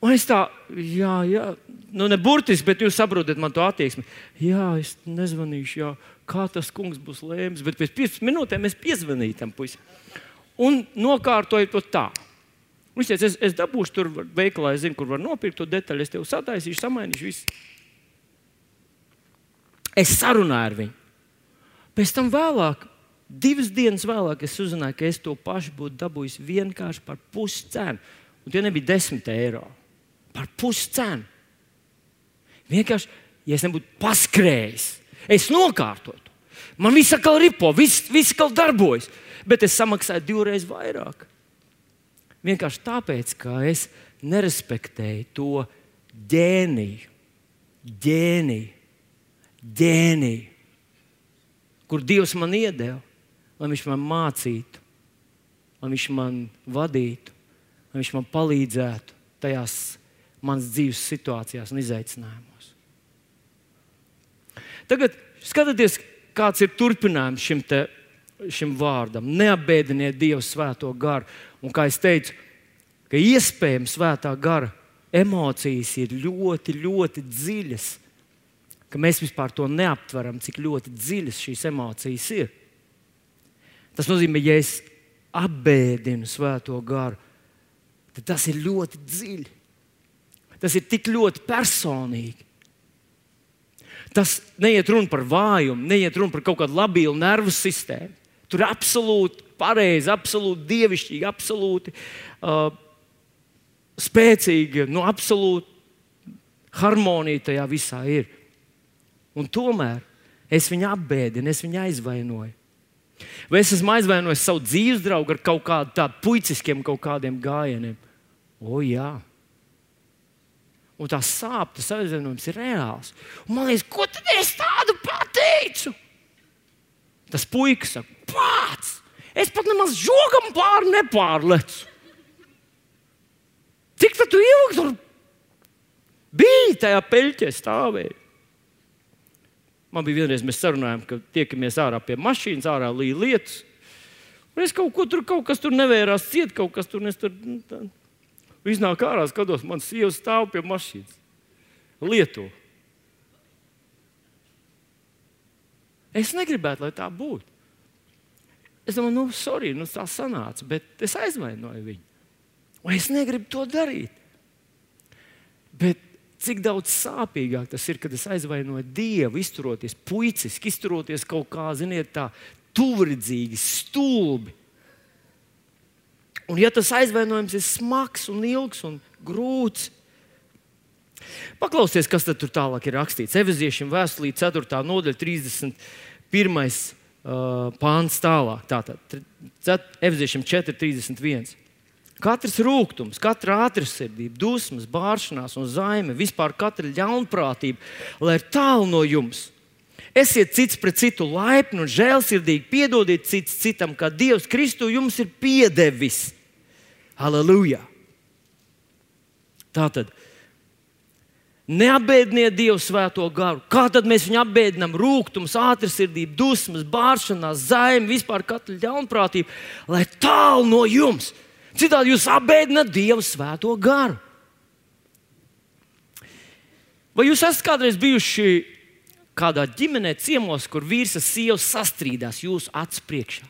Un es tā, ne burtiski, bet jūs saprotat man to attieksmi. Jā, es nezvanīšu, kā tas kungs būs lēms, bet pēc 15 minūtēm es piezvanīju tam puisi. Un nokārtoju to tā. Viņš teica, es dabūšu tur veikalā, es zinu, kur var nopirkt to detaļu, es tev sataisīšu, samainīšu visu. Es sarunāju ar viņu. Pēc tam vēlāk, 2 dienas vēlāk, es uzzināju, ka es to pašu būtu dabūjis vienkārši par puscenu. Un tie nebija 10 eiro. Par puscenu. Vienkārši, ja es nebūtu paskrējis, es nokārtotu. Man viss atkal ripo, viss atkal darbojas. Bet es samaksāju 2 reizes vairāk. Vienkārši tāpēc, ka es nerespektēju to ģēniju, kur Dievs man iedeva, lai viņš man mācītu, lai viņš man vadītu, lai viņš man palīdzētu tajās manas dzīves situācijās un izaicinājumos. Tagad skatieties, kāds ir turpinājums šim vārdam. Neapbēdiniet Dievu svēto garu. Un kā es teicu, ka iespējams svētā gara emocijas ir ļoti, ļoti dziļas, ka mēs vispār to neaptveram, cik ļoti dziļas šīs emocijas ir. Tas nozīmē, ja es apbēdinu svēto garu, tad tas ir ļoti dziļi. Tas ir tik ļoti personīgi. Tas neiet runa par vājumu, neiet runa par kaut kādu labilu nervu sistēmu. Tur ir absolūti pareizi, absolūti dievišķīgi, absolūti spēcīgi, absolūti harmonija tajā visā ir. Un tomēr es viņu apbēdinu, es viņu aizvainoju. Vai es esmu aizvainojis savu dzīves draugu ar kaut kādu tādu puiciskiem kaut kādiem gājieniem? Jā. Un tā sāp, tas aizvainojums ir reāls. Un man liekas, ko tad es tādu pateicu? Tas puikas saka, pats! Es pat nemaz žogam pāri nepārlecu. Cik tad tu ilgi tur biji tajā peļķē stāvēji? Man bija vienreiz, mēs sarunājām, ka tiekamies ārā pie mašīnas, ārā līja lietus. Un es kaut kas tur nevērās ciet, kaut kas tur iznāk ārā, skatos, man sieva stāv pie mašīnas. Lieto. Es negribētu, lai tā būtu. Es domāju, sorry, tā sanāca, bet es aizvainoju viņu. Un es negribu to darīt. Bet cik daudz sāpīgāk tas ir, kad es aizvainoju Dievu, izturoties puiciski, izturoties kaut kā, ziniet, tā tuvridzīgi, stulbi. Un ja tas aizvainojums ir smags un ilgs un grūts, paklausieties, kas tad tur tālāk ir rakstīts. Efeziešiem vēstulī 4. nodaļa 31. pāns tālāk. Tātad Efeziešiem 4.31. Katrs rūgtums, katra ātrsirdība, dusmas, bāršanās un zaime, vispār katra ļaunprātība, lai ir tālu no jums. Esiet cits pret citu laipni un žēlsirdīgi, piedodiet cits citam, kā Dievs Kristu jums ir piedevis. Halleluja! Tātad, neapbēdiniet Dievu svēto garu. Kā tad mēs viņu apbēdinām? Rūgtums, ātrsirdība, dusmas, bāršanās, zaime, vispār katra ļaunprātība, lai tālu no jums. Citādi jūs apbēdināt Dievu svēto garu. Vai jūs esat kādreiz bijuši kādā ģimenē ciemos, kur vīrs ar sievu sastrīdās jūsu acu priekšā?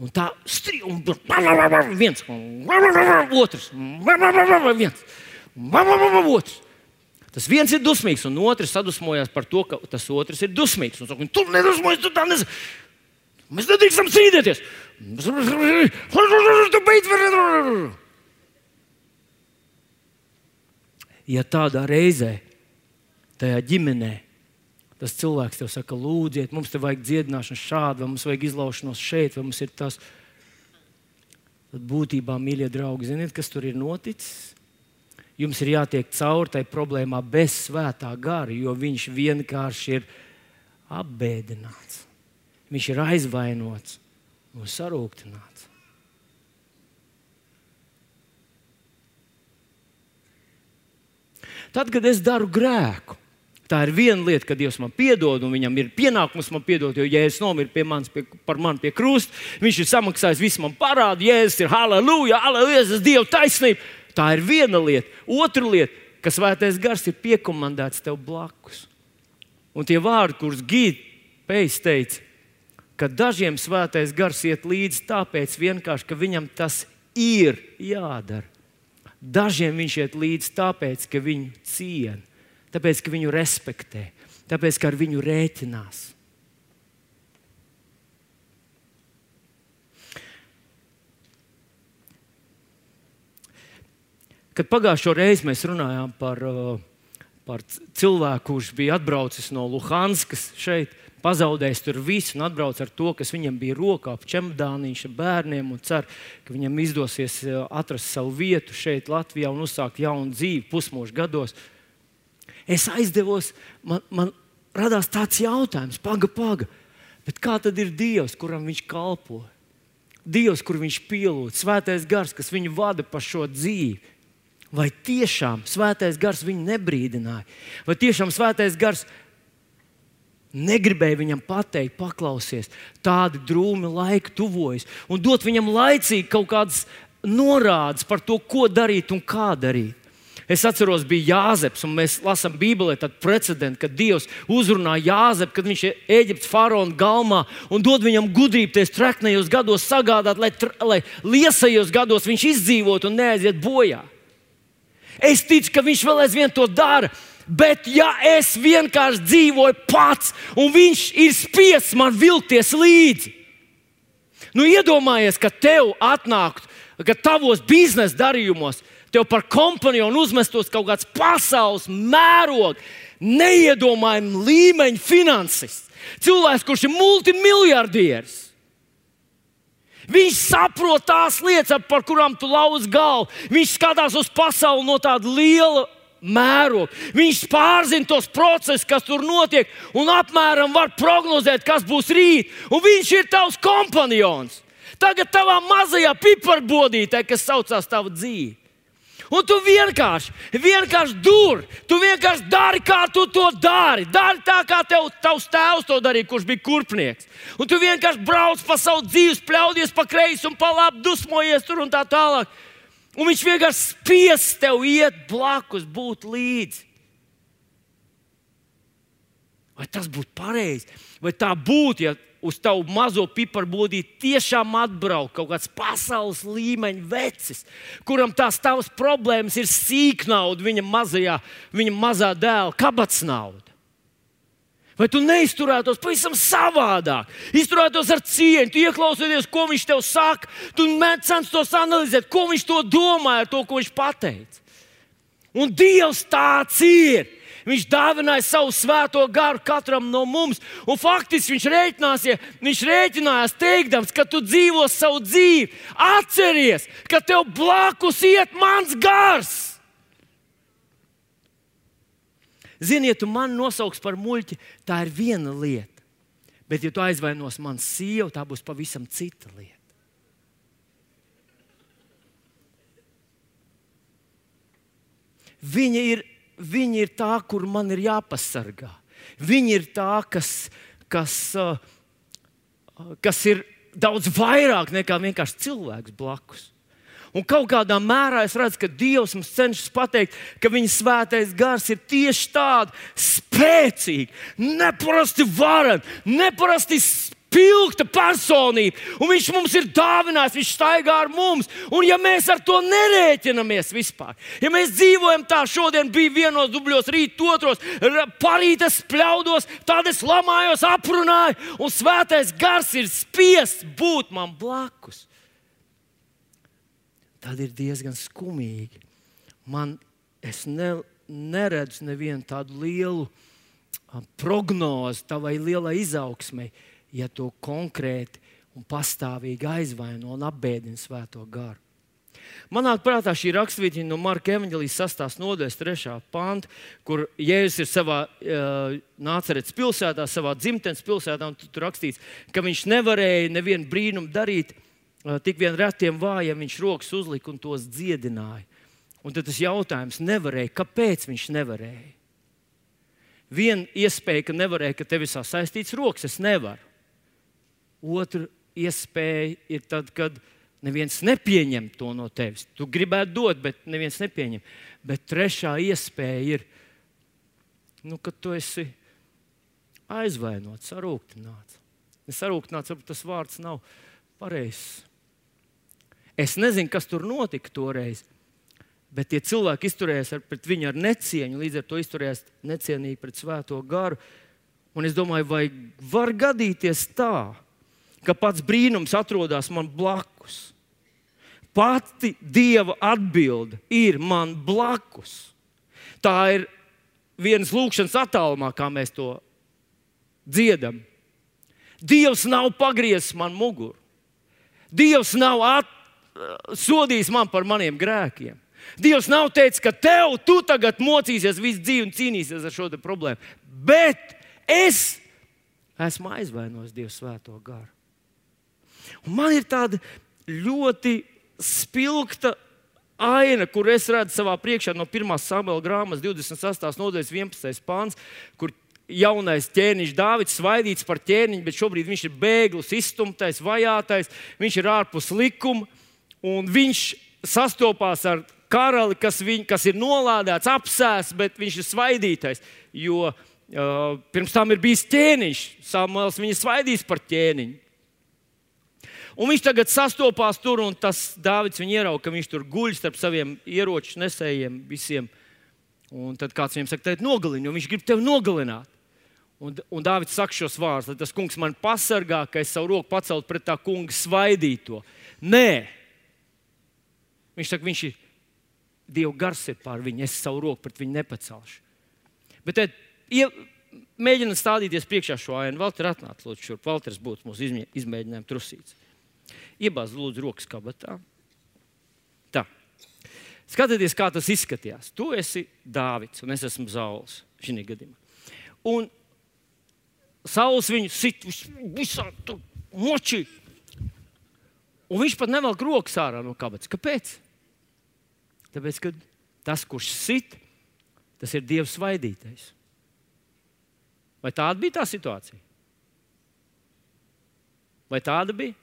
Un tā viens, otrs, viens, otrs. Tas viens ir dusmīgs, un otrs sadusmojās par to, ka tas otrs ir dusmīgs. Un saka, tu nedusmojies, tu tā nezini. Mēs nedrīkstam strīdēties. Ja tādā reizē, tajā ģimenē, tas cilvēks tev saka, lūdziet, mums te vajag dziedināšanu šādu, vai mums vajag izlaušanos šeit, vai mums ir tas. Tad būtībā, mīļie draugi, ziniet, kas tur ir noticis? Jums ir jātiek cauri tai problēmā bez svētā gara, jo viņš vienkārši ir apbēdināts. Viņš ir aizvainots un sarūktināts. Tad, kad es daru grēku, Tā ir viena lieta, ka Dievs man piedod, un viņam ir pienākums man piedot, jo Jēzus nomira par mani pie krusta. Viņš ir samaksājis visu man parādu. Jēzus ir halleluja, halleluja, tas Dieva taisnība. Tā ir viena lieta. Otra lieta, ka Svētais Gars ir piekomandēts tev blakus. Un tie vārdi, kurus Gīda Pejs teica, ka dažiem Svētais Gars iet līdzi tāpēc vienkārši, ka viņam tas ir jādara. Dažiem viņš iet līdzi tāpēc, ka viņu ciena, tāpēc, ka viņu respektē, tāpēc, ka ar viņu rēķinās. Kad pagājušo reizi mēs runājām par cilvēku, kurš bija atbraucis no Luhanskas šeit, pazaudējis tur visu un atbrauc ar to, kas viņam bija rokā, čemodāniņš ar bērniem un cer, ka viņam izdosies atrast savu vietu šeit Latvijā un uzsākt jaunu dzīvi pusmūža gados. Es aizdevos, man radās tāds jautājums, paga, bet kā tad ir Dievs, kuram viņš kalpo? Dievs, kur viņš pielūdz, Svētais Gars, kas viņu vada pa šo dzīvi. Vai tiešām Svētais Gars viņu nebrīdināja? Vai tiešām Svētais Gars negribēja viņam pateikt, paklausies, tādi drūmi laiki tuvojas, un dot viņam laicīgi kaut kādas norādes par to, ko darīt un kā darīt? Es atceros, bija Jāzeps, un mēs lasām Bībelē tādu precedentu, kad Dievs uzrunā Jāzepu, kad viņš ir Ēģiptes faraona galmā un dod viņam gudrību ties treknējos gados sagādāt, lai liesajos gados viņš izdzīvot un neaiziet bojā. Es ticu, ka viņš vēl aizvien to dara, bet ja es vienkārši dzīvoju pats un viņš ir spiests man vilkties līdzi, iedomājies, ka tev atnāktu, ka tavos biznesa darījumos tev par kompanionu uzmestos kaut kāds pasaules mēroga, neiedomājama līmeņa finansists. Cilvēks, kurš ir multimiljardieris. Viņš saprot tās lietas, par kurām tu lauz galvu. Viņš skatās uz pasauli no tāda liela mēroga. Viņš pārzina tos procesus, kas tur notiek, un apmēram var prognozēt, kas būs rīt. Un viņš ir tavs kompanions. Tagad tavā mazajā piparbodītē, kas saucās tava dzīve. Un tu vienkārši tu vienkārši dari, kā tu to dari. Dari tā, kā tavs tēvs to darīja, kurš bija kurpnieks. Un tu vienkārši brauc pa savu dzīvi, pļaudies pa kreisi un pa labi, dusmojies tur un tā tālāk. Un viņš vienkārši spiests tev iet blakus, būt līdzi. Vai tas būtu pareizi? Vai tā būtu, ja uz tavu mazo piparbodīti tiešām atbraukt kaut kāds pasaules līmeņa vecis, kuram tās tavas problēmas ir sīknauda, viņa mazā dēla kabatsnauda? Vai tu neizturētos pavisam savādāk? Izturētos ar cieņu, tu ieklausīties, ko viņš tev saka, tu censtos analizēt, ko viņš to domāja ar to, ko viņš pateica. Un Dievs tāds ir. Viņš dāvināja savu svēto garu katram no mums. Un faktiski viņš rēķinājās teikdams, ka tu dzīvo savu dzīvi. Atceries, ka tev blakus iet mans gars. Zini, ja tu mani nosauks par muļķi, tā ir viena lieta. Bet ja tu aizvainos manu sievu, tā būs pavisam cita lieta. Viņa ir tā, kur man ir jāpasargā. Viņa ir tā, kas ir daudz vairāk nekā vienkārši cilvēks blakus. Un kaut kādā mērā es redzu, ka Dievs mums cenšas pateikt, ka viņa svētais gars ir tieši tāds spēcīgs, neparasti varens, neparasti spilgta personība. Un viņš mums ir dāvinājis, viņš staigā ar mums. Un ja mēs ar to nerēķinamies vispār, ja mēs dzīvojam tā, šodien bija vienos dubļos, rīt otros, parīt es spļaudos, tad es lamājos, aprunāju, un svētais gars ir spiests būt man blakus, tad ir diezgan skumīgi. Es neredzu nevienu tādu lielu prognozi tavai lielai izaugsmei, ja to konkrēti un pastāvīgi aizvaino un apbēdina svēto garu. Man nāk prātā šī raksturvietiņa no Marka evaņģēlijas 6. nodaļas 3. panta, kur Jēzus ir savā Nāceretes pilsētā, savā dzimtenes pilsētā, un tur rakstīts, ka viņš nevarēja nevienu brīnumu darīt, tik vien retiem vājiem viņš rokas uzlika un tos dziedināja. Un tad tas jautājums nevarēja, kāpēc viņš nevarēja? Viena iespēja, ka nevarēja, ka tev ir sasaistīts rokas, es nevaru. Otra iespēja ir tad, kad neviens nepieņem to no tevis. Tu gribētu dot, bet neviens nepieņem. Bet trešā iespēja ir, kad tu esi aizvainots, sarūktināts. Sarūktināts, varbūt tas vārds nav pareizs. Es nezinu, kas tur notika toreiz, bet tie cilvēki izturējās pret viņu ar necieņu, līdz ar to izturējās necienīgi pret Svēto garu. Un es domāju, vai var gadīties tā, ka pats brīnums atrodas man blakus. Pati Dieva atbilde ir man blakus. Tā ir vienas lūkšanas attālumā, kā mēs to dziedam. Dievs nav pagriezis man muguru. Dievs nav sodījis man par maniem grēkiem. Dievs nav teicis, ka tu tagad mocīsies visu dzīvi un cīnīsies ar šo problēmu. Bet es esmu aizvainojis Dievu Svēto garu. Un man ir tāda ļoti spilgta aina, kur es redzu savā priekšā no 1. Samuela grāmatas 28. nodaļas 11. pāns, kur jaunais ķēniņš Dāvids svaidīts par ķēniņu, bet šobrīd viņš ir bēglis, izstumtais, vajātais, viņš ir ārpus likuma, un viņš sastopās ar karali, kas ir nolādēts, apsēsts, bet viņš ir svaidītais, jo pirms tam ir bijis ķēniņš, Samuels viņu svaidīs par ķēniņu. Un viņš tagad sastopās tur, un tas Dāvids viņu ierauga, ka viņš tur guļ starp saviem ieroču nesējiem visiem. Un tad kāds viņam saka, nogalini, jo viņš grib tevi nogalināt. Un Dāvids saka šos vārdus, lai tas kungs man pasargā, ka es savu roku pacelt pret tā kunga svaidīto. Nē. Viņš saka, viņš ir Dieva gars ir pār viņu, es savu roku pret viņu nepacelšu. Bet mēģināt stādīties priekšā šo ainu. Valter, atnāc, lūdzu, šurp. Valters būtu mūsu izmēģinājuma trusīts. Iebāz, lūdzu, rokas kabatā. Tā. Skatieties, kā tas izskatījās. Tu esi Dāvids, un es esmu Sauls šī gadījumā. Un Sauls viņu sit visā tur močī. Un viņš pat nevelk rokas ārā no kabatas. Kāpēc? Tāpēc, ka tas, kurš sit, tas ir Dieva svaidītais. Vai tāda bija tā situācija? Vai tāda bija?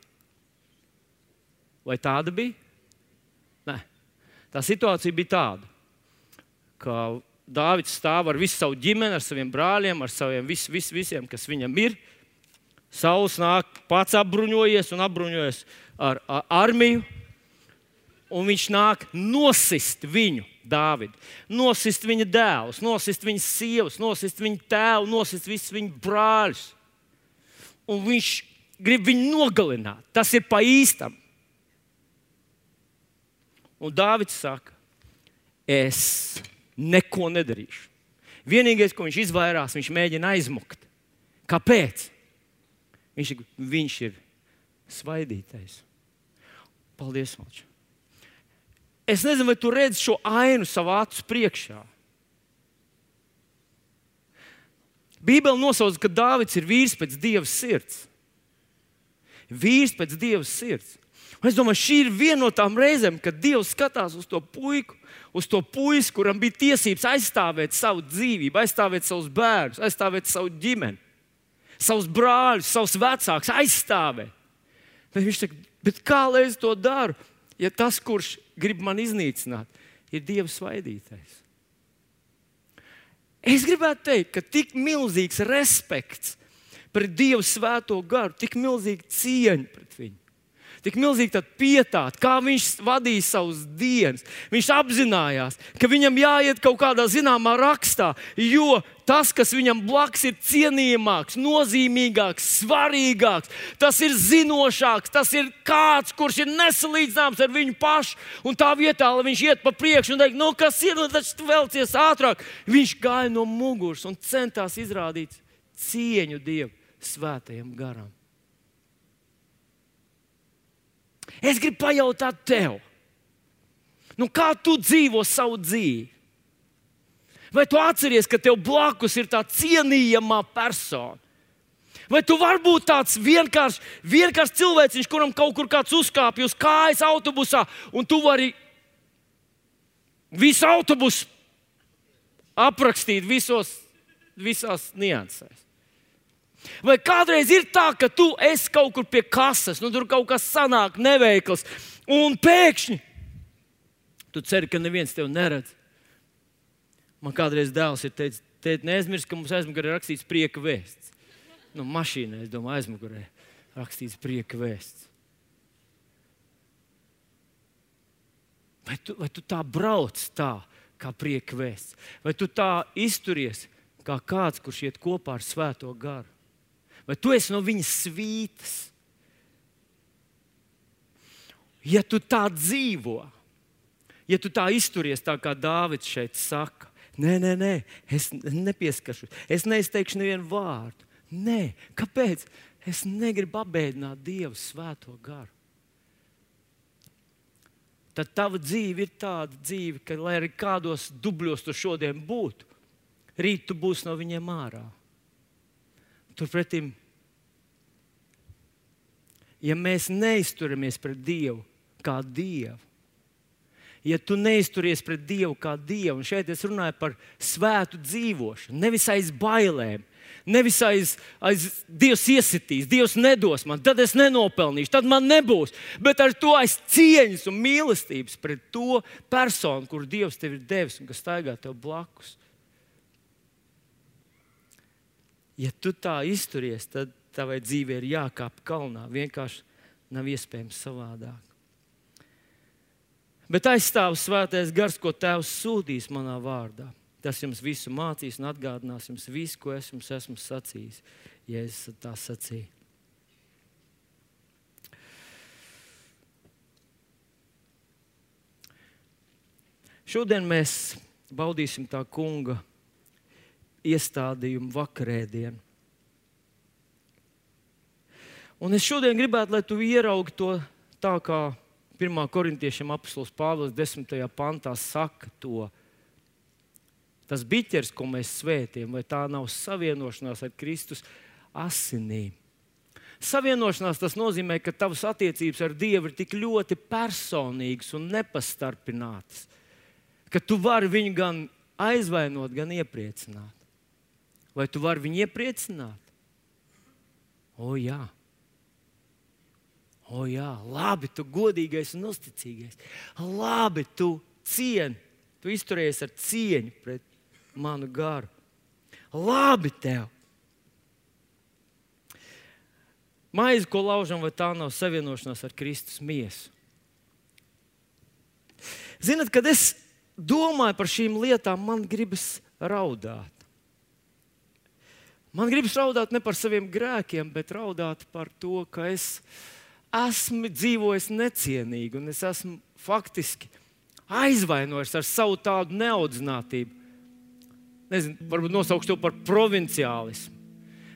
Vai tāda bija? Nē. Tā situācija bija tāda, ka Dāvids stāv ar visu savu ģimeni, ar saviem brāļiem, ar saviem visiem, kas viņam ir. Sauls nāk pats apbruņojies un apbruņojies ar armiju. Un viņš nāk nosist viņu, Dāvidu. Nosist viņa dēlus, nosist viņa sievas, nosist viņa tēvu, nosist visus viņa brāļus. Un viņš grib viņu nogalināt. Tas ir pa īstam. Un Dāvids saka, es neko nedarīšu. Vienīgais, ko viņš izvairās, viņš mēģina aizmukt. Kāpēc? Viņš ir svaidītais. Paldies, Malč. Es nezinu, vai tu redzi šo ainu savā acu priekšā. Bībele nosauc, ka Dāvids ir vīrs pēc Dieva sirds. Vīrs pēc Dieva sirds. Un es domāju, šī ir viena no tām reizēm, kad Dievs skatās uz to puiku, uz to puisi, kuram bija tiesības aizstāvēt savu dzīvību, aizstāvēt savus bērnus, aizstāvēt savu ģimeni, savus brāļus, savus vecākus, aizstāvēt. Bet viņš saka, bet kā lai es to daru, ja tas, kurš grib man iznīcināt, ir Dieva svaidītais? Es gribētu teikt, ka tik milzīgs respekts pret Dieva svēto garu, tik milzīga cieņa pret viņu. Tik milzīgi tad pietāta, kā viņš vadīja savus dienas. Viņš apzinājās, ka viņam jāiet kaut kādā zināmā rakstā, jo tas, kas viņam blakus ir cienījamāks, nozīmīgāks, svarīgāks, tas ir zinošāks, tas ir kāds, kurš ir nesalīdzināms ar viņu pašu. Un tā vietā, lai viņš iet pa priekšu un teikt, kas ir, taču tu velcies ātrāk. Viņš gāja no muguras un centās izrādīt cieņu Dieva svētajam garam. Es gribu pajautāt tev, kā tu dzīvo savu dzīvi? Vai tu atceries, ka tev blakus ir tā cienījamā persona? Vai tu vari būt tāds vienkārši cilvēciņš, kuram kaut kur kāds uzkāpj uz kājas autobusā, un tu vari visu autobusu aprakstīt visos visās niansēs. Vai kādreiz ir tā, ka tu esi kaut kur pie kases, tur kaut kas sanāk neveikls, un pēkšņi tu ceri, ka neviens tevi neredz. Man kādreiz dēls ir teicis, tēt, neaizmirst, ka mums aizmugurē rakstīts prieka vēsts. Mašīnā, es domāju, aizmugurē rakstīts prieka vēsts. Vai tu tā brauc tā, kā prieka vēsts? Vai tu tā izturies, kā kāds, kurš iet kopā ar Svēto garu? Vai tu esi no viņa svītas? Ja tu tā dzīvo, ja tu tā izturies tā, kā Dāvids šeit saka, nē, es nepieskaršu, es neizteikšu nevienu vārdu. Nē, kāpēc? Es negribu apbēdināt Dievu Svēto garu. Tad tava dzīve ir tāda dzīve, ka, lai arī kādos dubļos tu šodien būtu, rīt tu būsi no viņiem ārā. Turpretim, ja mēs neizturamies pret Dievu kā Dievu, ja tu neizturies pret Dievu kā Dievu, un šeit es runāju par svētu dzīvošanu, nevis aiz bailēm, nevis aiz Dievs iesitīs, Dievs nedos man, tad es nenopelnīšu, tad man nebūs, bet ar to aiz cieņas un mīlestības pret to personu, kur Dievs tev ir devis un kas staigā tev blakus. Ja tu tā izturies, tad tavai dzīvē ir jākāp kalnā. Vienkārši nav iespējams savādāk. Bet aizstāv Svētais Gars, ko Tēvs sūtīs manā vārdā. Tas jums visu mācīs un atgādinās jums visu, ko es jums esmu sacījis, ja es tā sacīju. Šodien mēs baudīsim tā kunga iestādījumu vakarēdienu. Un es šodien gribētu, lai tu ieraugi to tā, kā 1. korintiešiem apostols Pāvils 10. pantā saka to. Tas biķers, ko mēs svētījam, vai tā nav savienošanās ar Kristus asinīm. Savienošanās tas nozīmē, ka tavas attiecības ar Dievu ir tik ļoti personīgas un nepastarpinātas, ka tu vari viņu gan aizvainot, gan iepriecināt. Vai tu vari viņu iepriecināt? O jā, labi, tu godīgais un uzticīgais. Labi, tu cieni, tu izturies ar cieņu pret manu garu. Labi tev. Maize, ko laužam, vai tā nav savienošanās ar Kristus miesu? Zinat, kad es domāju par šīm lietām, man gribas raudāt. Man gribas raudāt ne par saviem grēkiem, bet raudāt par to, ka es esmu dzīvojis necienīgi un es esmu faktiski aizvainojis ar savu tādu neaudzinātību. Nezinu, varbūt nosaukšu to par provinciālismu.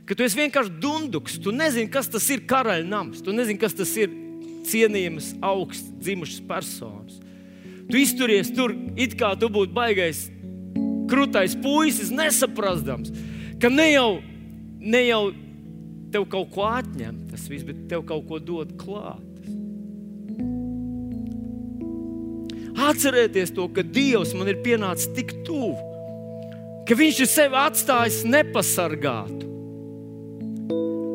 Ka tu esi vienkārši dunduks, tu nezini, kas tas ir karaļnams, tu nezini, kas tas ir cienījamas, augsts dzimušas personas. Tu izturies tur, it kā tu būtu baigais krutais puisis, nesaprastams, ka ne jau tev kaut ko atņem tas viss, bet tev kaut ko dod klāt. Atcerieties to, ka Dievs man ir pienācis tik tuvu, ka viņš ir sevi atstājis nepasargātu.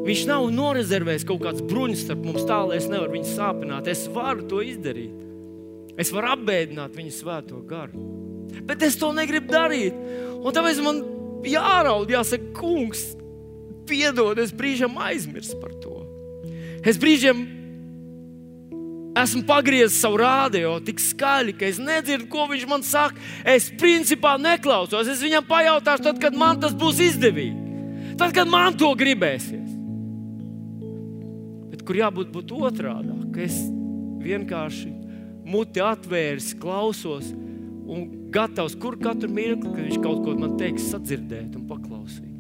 Viņš nav norezervējis kaut kāds bruņas starp mums tā, lai es nevaru viņu sāpināt. Es varu to izdarīt. Es varu apbēdināt viņu Svēto garu. Bet es to negribu darīt. Un tāpēc man jāraud, jāsaka, kungs, piedod, es brīžam aizmirsu par to. Es brīžam esmu pagriezis savu rādio tik skaļi, ka es nedzirdu, ko viņš man saka. Es principā neklausos. Es viņam pajautāšu tad, kad man tas būs izdevīgi. Tad, kad man to gribēsies. Bet kur jābūt otrādāk, ka es vienkārši muti atvēris, klausos un gatavs, kur katru mirkli, kad viņš kaut ko man teiks, sadzirdēt un paklausīt.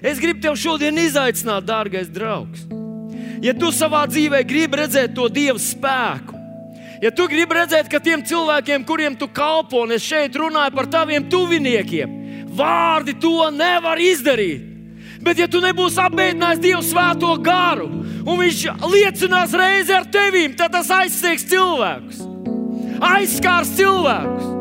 Es gribu tev šodien izaicināt, dārgais draugs. Ja tu savā dzīvē gribi redzēt to Dieva spēku, ja tu gribi redzēt, ka tiem cilvēkiem, kuriem tu kalpo, un es šeit runāju par taviem tuviniekiem, vārdi to nevar izdarīt. Bet ja tu nebūsi apbēdinājis Dievu Svēto garu, un viņš liecinās reizi ar tevīm, tad tas aizsiegs cilvēkus. Aizskārs cilvēkus.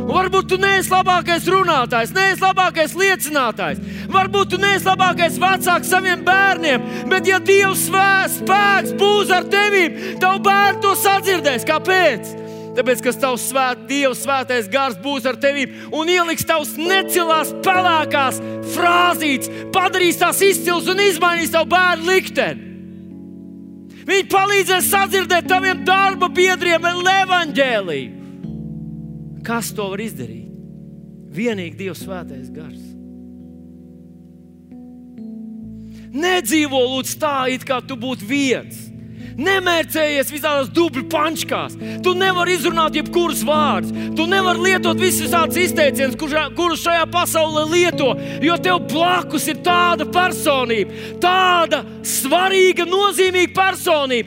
Un varbūt tu neesi labākais runātājs, neesi labākais liecinātājs. Varbūt tu neesi labākais vecāks saviem bērniem, bet ja Dieva spēks būs ar tevīm, tavu bērnu to sadzirdēs. Kāpēc? Tāpēc, ka tavs Dieva svētais gars būs ar tevīm un ieliks tavs necilās, pelēkās frāzītes, padarīs tās izcils un izmainīs tavu bērnu likteni. Viņi palīdzēs sadzirdēt taviem darba biedriem evaņģēliju. Kas to var izdarīt? Vienīgi Dieva svētais gars. Nedzīvo lūdzu tā, it kā tu būtu viens. Nemērcējies visādās dubļu pančkās. Tu nevari izrunāt jebkurus vārdus. Tu nevari lietot visus tādus izteicienus, kurus šajā pasaulē lieto, jo tev blakus ir tāda personība, tāda svarīga, nozīmīga personība,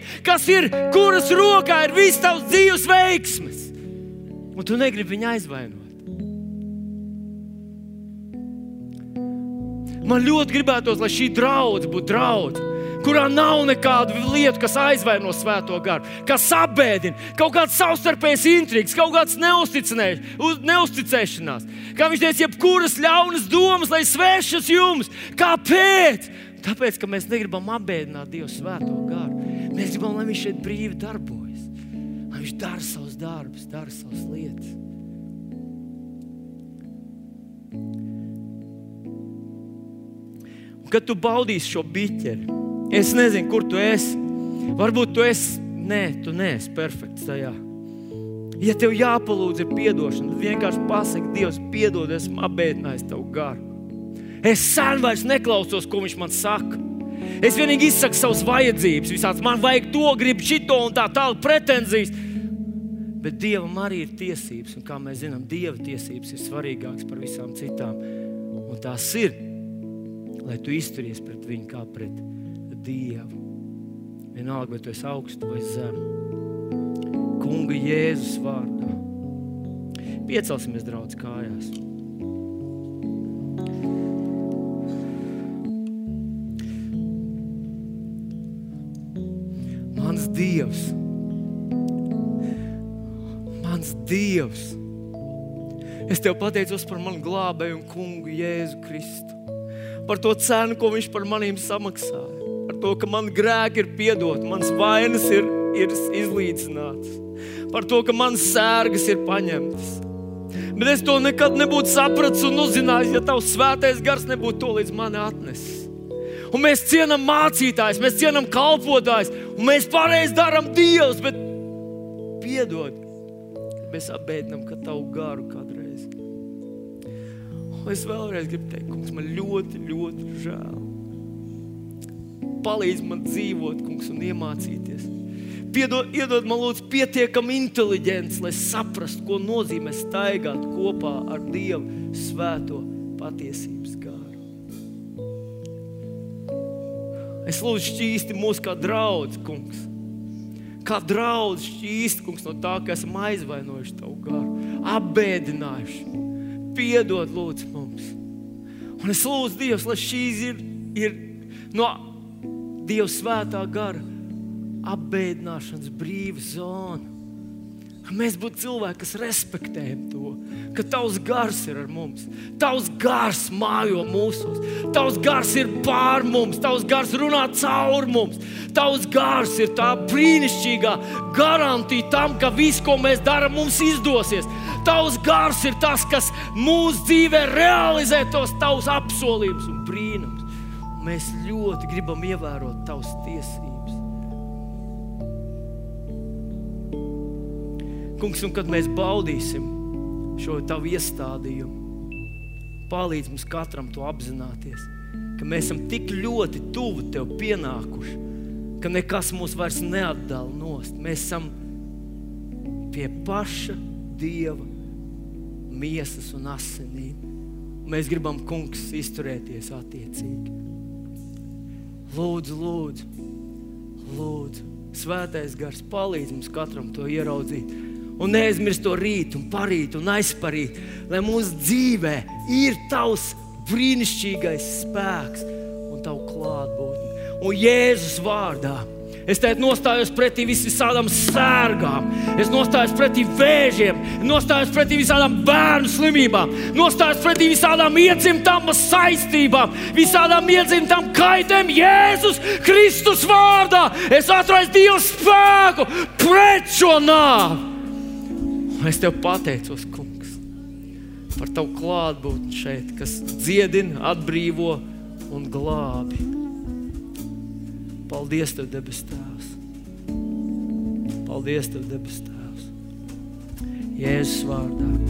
kuras rokā ir viss tavs dzīves veiksmes. Un tu negribi viņu aizvainot. Man ļoti gribētos, lai šī draudze būtu draudze, kurā nav nekādu lietu, kas aizvaino svēto garu, kas apbēdina, kaut kāds savstarpējs intrigs, kaut kāds neusticēšanās. Kā viņš teica, jebkuras ļaunas domas, lai svešas jums. Kāpēc? Tāpēc, ka mēs negribam apbēdināt Dievu svēto garu. Mēs gribam, lai viņš šeit brīvi darbojas. Lai viņš dara savus darbus, dara savas lietas. Un kad tu baudīsi šo biķeri, es nezinu, kur tu esi. Varbūt tu esi, tu neesi perfekts tajā. Ja tev jāpalūdz ir piedošana, tad vienkārši pasaki, Dievs, piedod, esmu apbēdinājis tavu garu. Es sen vairs neklausos, ko viņš man saka. Es vienīgi izsaku savas vajadzības, visāds, man vajag to, gribu šito un tā tālāk pretenzijas. Bet Dievam arī ir tiesības, un kā mēs zinām, Dieva tiesības ir svarīgākas par visām citām. Un tās ir, lai tu izturies pret viņu kā pret Dievu. Vienalga, vai tu esi augstu vai zemu. Kunga Jēzus vārdā. Piecelsimies, draudz, kājās. Mans Dievs, es Tev pateicos par manu glābēju un kungu Jēzu Kristu. Par to cenu, ko viņš par manīm samaksāja. Par to, ka man grēki ir piedoti, mans vainas ir izlīdzināts. Par to, ka manas sērgas ir paņemtas. Bet es to nekad nebūtu sapratis un uzzinājis, ja Tavs svētais gars nebūtu to līdz mani atnesis. Un mēs cienam mācītājs, mēs cienam kalpotājs, un mēs pareizi darām Dievs, bet piedod, mēs apbēdinām, ka Tavu garu kādreiz. Un es vēlreiz gribu teikt, kungs, man ļoti, ļoti žēl. Palīdz man dzīvot, kungs, un iemācīties. Iedod man lūdzu pietiekami inteliģents, lai saprastu, ko nozīmē staigāt kopā ar Dievu svēto patiesības garu. Es lūdzu šķīsti mūs kā draudz, kungs. Kā draudz šķīsti, kungs, no tā, ka esam aizvainojuši Tavu garu, apbēdinājuši. Piedod, lūdzu, mums. Un es lūdzu, Dievs, lai šīs ir no Dieva svētā gara apbēdināšanas brīva zona. Ka mēs būtu cilvēki, kas respektējam to, ka Tavs gars ir ar mums. Tavs gars mājo mūsos. Tavs gars ir pār mums. Tavs gars runā caur mums. Tavs gars ir tā brīnišķīgā garantija tam, ka viss, ko mēs darām, mums izdosies. Tavs gars ir tas, kas mūsu dzīvē realizē tos Tavus apsolījumus un brīnums. Mēs ļoti gribam ievērot Tavas tiesības. Kungs, un kad mēs baudīsim šo Tavu iestādījumu, palīdz mums katram to apzināties, ka mēs esam tik ļoti tuvu Tev pienākuši, ka nekas mūs vairs neatdala nost. Mēs esam pie paša Dieva miesas un asinīm. Mēs gribam, kungs, izturēties attiecīgi. Lūdzu, lūdzu, lūdzu, svētais gars, palīdz mums katram to ieraudzīt. Un neaizmirst to rīt un parīt un aizparīt, lai mūsu dzīvē ir Tavs brīnišķīgais spēks un Tavu klātbūtni. Un Jēzus vārdā Es tēt nostājos pretī visādām sērgām. Es nostājos pretī vēžiem, nostājos pretī visādām bērnu slimībām, nostājos pretī visādām iedzimtām saistībām, visādām iedzimtām kaitēm Jēzus Kristus vārdā. Es atraisu Dieva spēku pret šo nāvi. Es Tev pateicos, Kungs, par Tavu klātbūtni šeit, kas dziedina, atbrīvo un glābi. Paldies Tev, debes Tēvs. Paldies Tev, debes Tēvs. Jēzus vārdā.